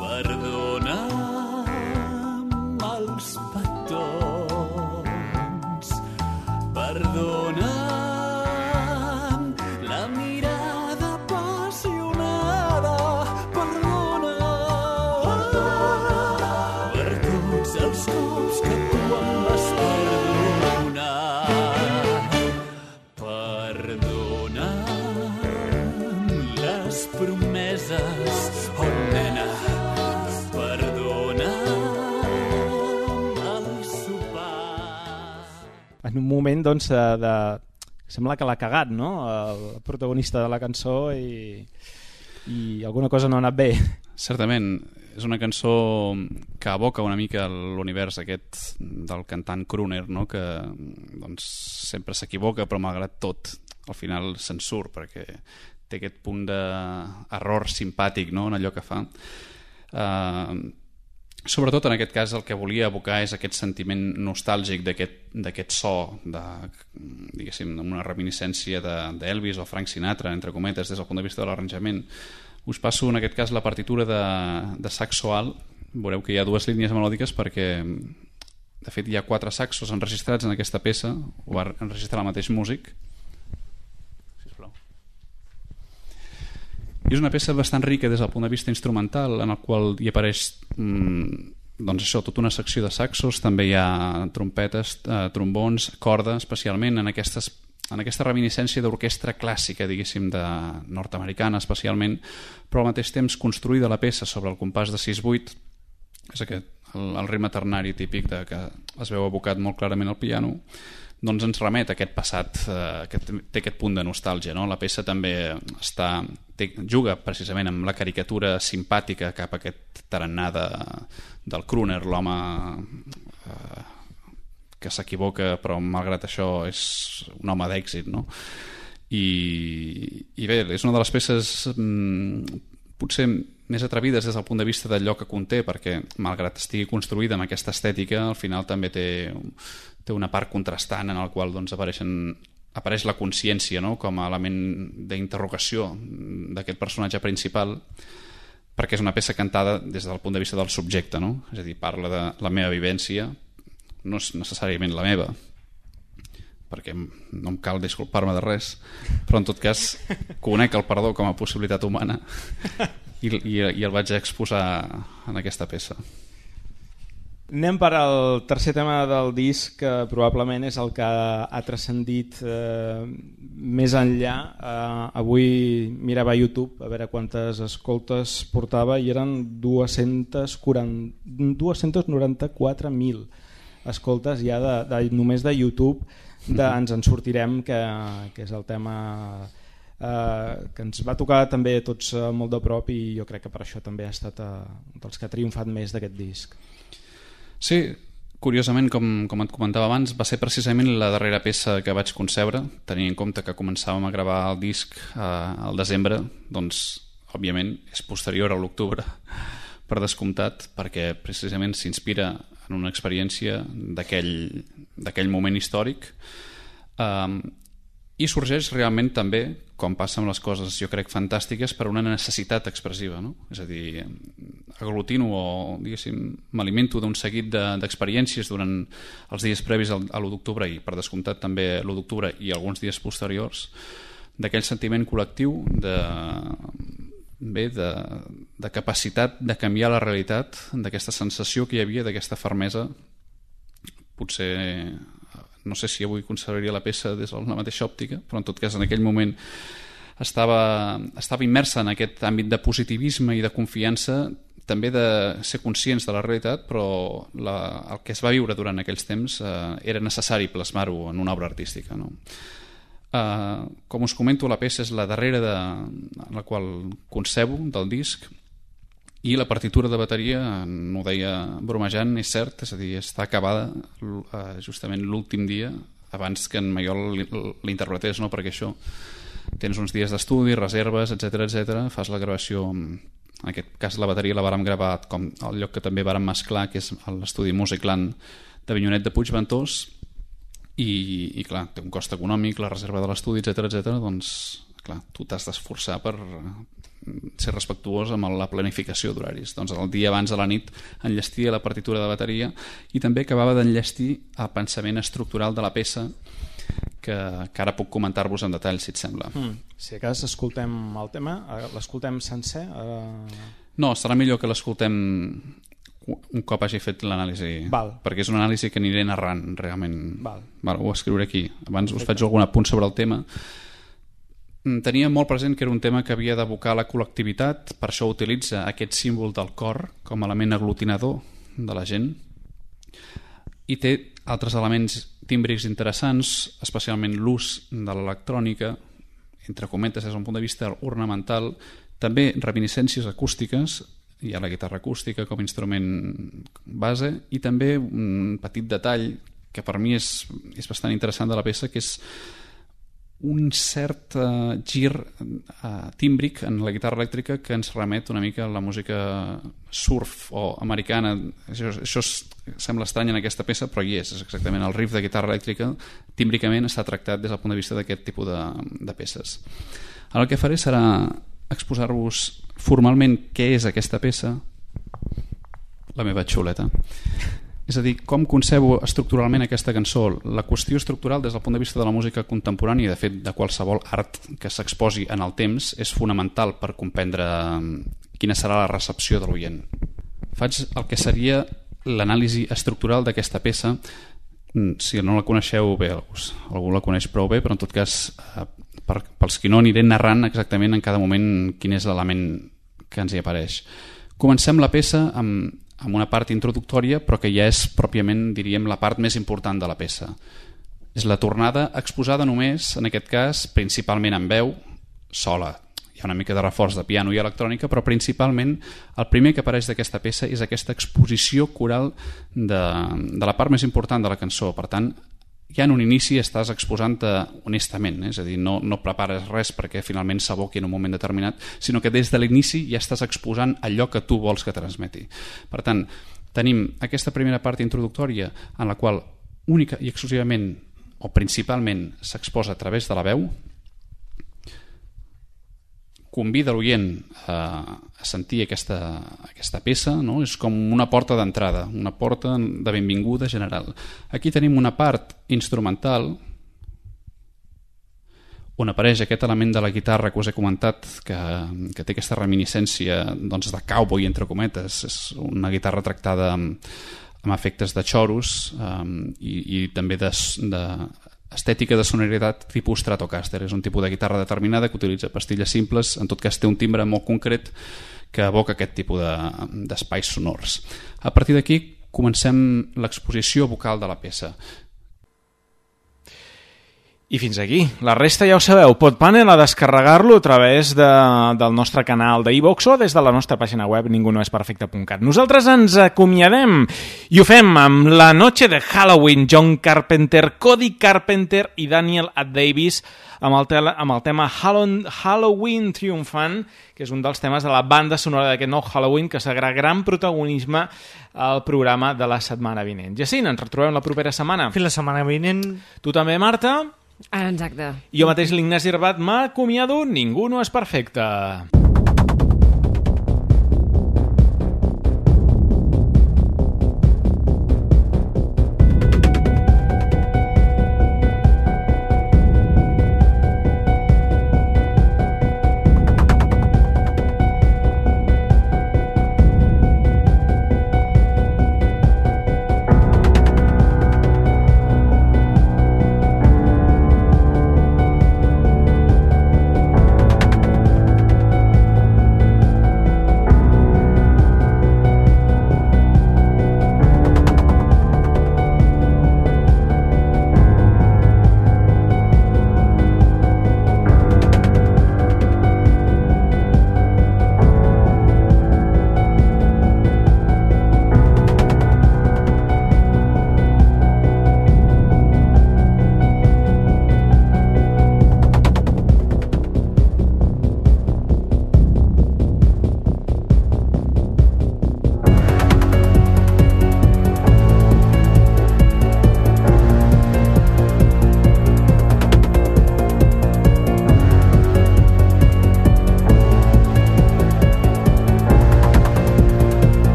perdona els petons, perdona la mirada apassionada, perdona, perdona per tots els cops que tu em vas perdonar. Promeses, oh nena, perdona el sopar. En un moment, doncs, de... sembla que l'ha cagat, no?, el protagonista de la cançó, i, i alguna cosa no ha anat bé. Certament, és una cançó que evoca una mica l'univers aquest del cantant crooner, no?, que doncs, sempre s'equivoca, però malgrat tot al final se'n surt, perquè té aquest punt d'error simpàtic, no?, en allò que fa. Uh, sobretot en aquest cas el que volia evocar és aquest sentiment nostàlgic d'aquest so, de, diguéssim, una reminiscència d'Elvis o Frank Sinatra, entre cometes, des del punt de vista de l'arranjament. Us passo en aquest cas la partitura de, de saxo alt. Veureu que hi ha dues línies melòdiques perquè de fet hi ha quatre saxos enregistrats en aquesta peça, ho va enregistrar el mateix músic. I és una peça bastant rica des del punt de vista instrumental, en el qual hi apareix mmm, doncs això, tota una secció de saxos, també hi ha trompetes, eh, trombons, corda, especialment en, aquestes, en aquesta reminiscència d'orquestra clàssica, diguéssim, de nord-americana especialment, però al mateix temps construïda la peça sobre el compàs de sis vuit, és aquest, el, el ritme ternari típic de que es veu abocat molt clarament al piano, doncs ens remet a aquest passat eh, que té aquest punt de nostàlgia, no? La peça també està, té, juga precisament amb la caricatura simpàtica cap a aquest tarannà de, del crooner, l'home eh, que s'equivoca però malgrat això és un home d'èxit, no? I, i bé, és una de les peces mm, potser més atrevides des del punt de vista del lloc que conté, perquè malgrat estigui construïda amb aquesta estètica, al final també té té una part contrastant en el qual doncs, apareixen, apareix la consciència, no? Com a element d'interrogació d'aquest personatge principal, perquè és una peça cantada des del punt de vista del subjecte, no? És a dir, parla de la meva vivència, no és necessàriament la meva, perquè no em cal disculpar-me de res, però en tot cas conec el perdó com a possibilitat humana i, i, i el vaig exposar en aquesta peça. Anem per al tercer tema del disc, que probablement és el que ha transcendit eh, més enllà. Eh, avui mirava a YouTube a veure quantes escoltes portava i eren dues-centes noranta-quatre mil escoltes ja de, de, només de YouTube. De, ens en sortirem, que, que és el tema eh, que ens va tocar també tots eh, molt de prop, i jo crec que per això també ha estat eh, dels que ha triomfat més d'aquest disc. Sí, curiosament, com, com et comentava abans, va ser precisament la darrera peça que vaig concebre, tenint en compte que començàvem a gravar el disc eh, al desembre, doncs, òbviament, és posterior a l'octubre, per descomptat, perquè precisament s'inspira en una experiència d'aquell moment històric, eh, i sorgeix realment també, com passa amb les coses, jo crec, fantàstiques, per una necessitat expressiva, no? És a dir, aglutino o, diguéssim, m'alimento d'un seguit d'experiències de, durant els dies previs al, a l'u d'octubre i, per descomptat, també l'u d'octubre i alguns dies posteriors, d'aquell sentiment col·lectiu de, bé, de, de capacitat de canviar la realitat, d'aquesta sensació que hi havia, d'aquesta fermesa. Potser no sé si avui conservaria la peça des de la mateixa òptica, però en tot cas en aquell moment estava, estava immersa en aquest àmbit de positivisme i de confiança, també de ser conscients de la realitat, però la, el que es va viure durant aquells temps eh, era necessari plasmar-ho en una obra artística, no? Eh, com us comento, la peça és la darrera de, en la qual concebo del disc, i la partitura de bateria, no ho deia bromejant, és cert, és a dir, està acabada eh, justament l'últim dia abans que en Maiol l'interpretés, no? Perquè això tens uns dies d'estudi, reserves, etcètera, etcètera, fas la gravació, en aquest cas la bateria la vàrem gravar com el lloc que també vàrem mesclar, que és l'estudi Musicland de Avinyonet de Puigventós, i, i clar, té un cost econòmic, la reserva de l'estudi, etcètera, etcètera, doncs clar, tu t'has d'esforçar per ser respectuós amb la planificació d'horaris. Doncs el dia abans de la nit enllestia la partitura de bateria i també acabava d'enllestir el pensament estructural de la peça, que, que ara puc comentar-vos en detall, si et sembla. Mm. Si a cas escoltem el tema, l'escoltem sencer? Ara... No, serà millor que l'escoltem un cop hagi fet l'anàlisi, perquè és una anàlisi que aniré narrant realment. Val. Val, ho escriuré aquí. Abans Perfecte. Us faig algun apunt sobre el tema. Tenia molt present que era un tema que havia d'evocar la col·lectivitat, per això utilitza aquest símbol del cor com a element aglutinador de la gent, i té altres elements tímbrics interessants, especialment l'ús de l'electrònica, entre cometes des d'un punt de vista ornamental, també reminiscències acústiques, hi ha la guitarra acústica com a instrument base, i també un petit detall que per mi és, és bastant interessant de la peça, que és un cert uh, gir uh, tímbric en la guitarra elèctrica que ens remet una mica a la música surf o americana. Això, això és, sembla estrany en aquesta peça, però hi és, és exactament el riff de guitarra elèctrica, tímbricament està tractat des del punt de vista d'aquest tipus de, de peces. Ara el que faré serà exposar-vos formalment què és aquesta peça, la meva xuleta. És a dir, com concebo estructuralment aquesta cançó. La qüestió estructural des del punt de vista de la música contemporània, de fet de qualsevol art que s'exposi en el temps, és fonamental per comprendre quina serà la recepció de l'oient. Faig el que seria l'anàlisi estructural d'aquesta peça. Si no la coneixeu bé, algú la coneix prou bé, però en tot cas per, pels qui no aniré narrant exactament en cada moment quin és l'element que ens hi apareix. Comencem la peça amb amb una part introductòria, però que ja és pròpiament, diríem, la part més important de la peça. És la tornada exposada només, en aquest cas, principalment en veu, sola. Hi ha una mica de reforç de piano i electrònica, però principalment el primer que apareix d'aquesta peça és aquesta exposició coral de, de la part més important de la cançó. Per tant, ja en un inici estàs exposant-te honestament, eh? És a dir, no, no prepares res perquè finalment s'aboqui en un moment determinat, sinó que des de l'inici ja estàs exposant allò que tu vols que transmeti. Per tant, tenim aquesta primera part introductòria en la qual única i exclusivament o principalment s'exposa a través de la veu, convida l'oient a, a sentir aquesta, aquesta peça, no? És com una porta d'entrada, una porta de benvinguda general. Aquí tenim una part instrumental on apareix aquest element de la guitarra que us he comentat, que, que té aquesta reminiscència doncs, de cowboy, entre cometes. És una guitarra tractada amb, amb efectes de choros um, i, i també de, de estètica de sonoritat tipus Stratocaster. És un tipus de guitarra determinada que utilitza pastilles simples, en tot cas té un timbre molt concret que evoca aquest tipus de, d'espais sonors. A partir d'aquí comencem l'exposició vocal de la peça. I fins aquí. La resta ja ho sabeu. Podpanel a descarregar-lo a través de, del nostre canal d'iVox o des de la nostra pàgina web ningunoesperfecte punt cat. Nosaltres ens acomiadem i ho fem amb La noche de Halloween, John Carpenter, Cody Carpenter i Daniel Ad Davis amb el, tele, amb el tema Halloween Triumphant, que és un dels temes de la banda sonora d'aquest nou Halloween que serà gran protagonisme al programa de la setmana vinent. Jacint, ens retrobem la propera setmana. Fins la setmana vinent. Tu també, Marta? Exacte. Jo mateix, l'Ignasi Rabat, m'acomiado. Ningú no és perfecte.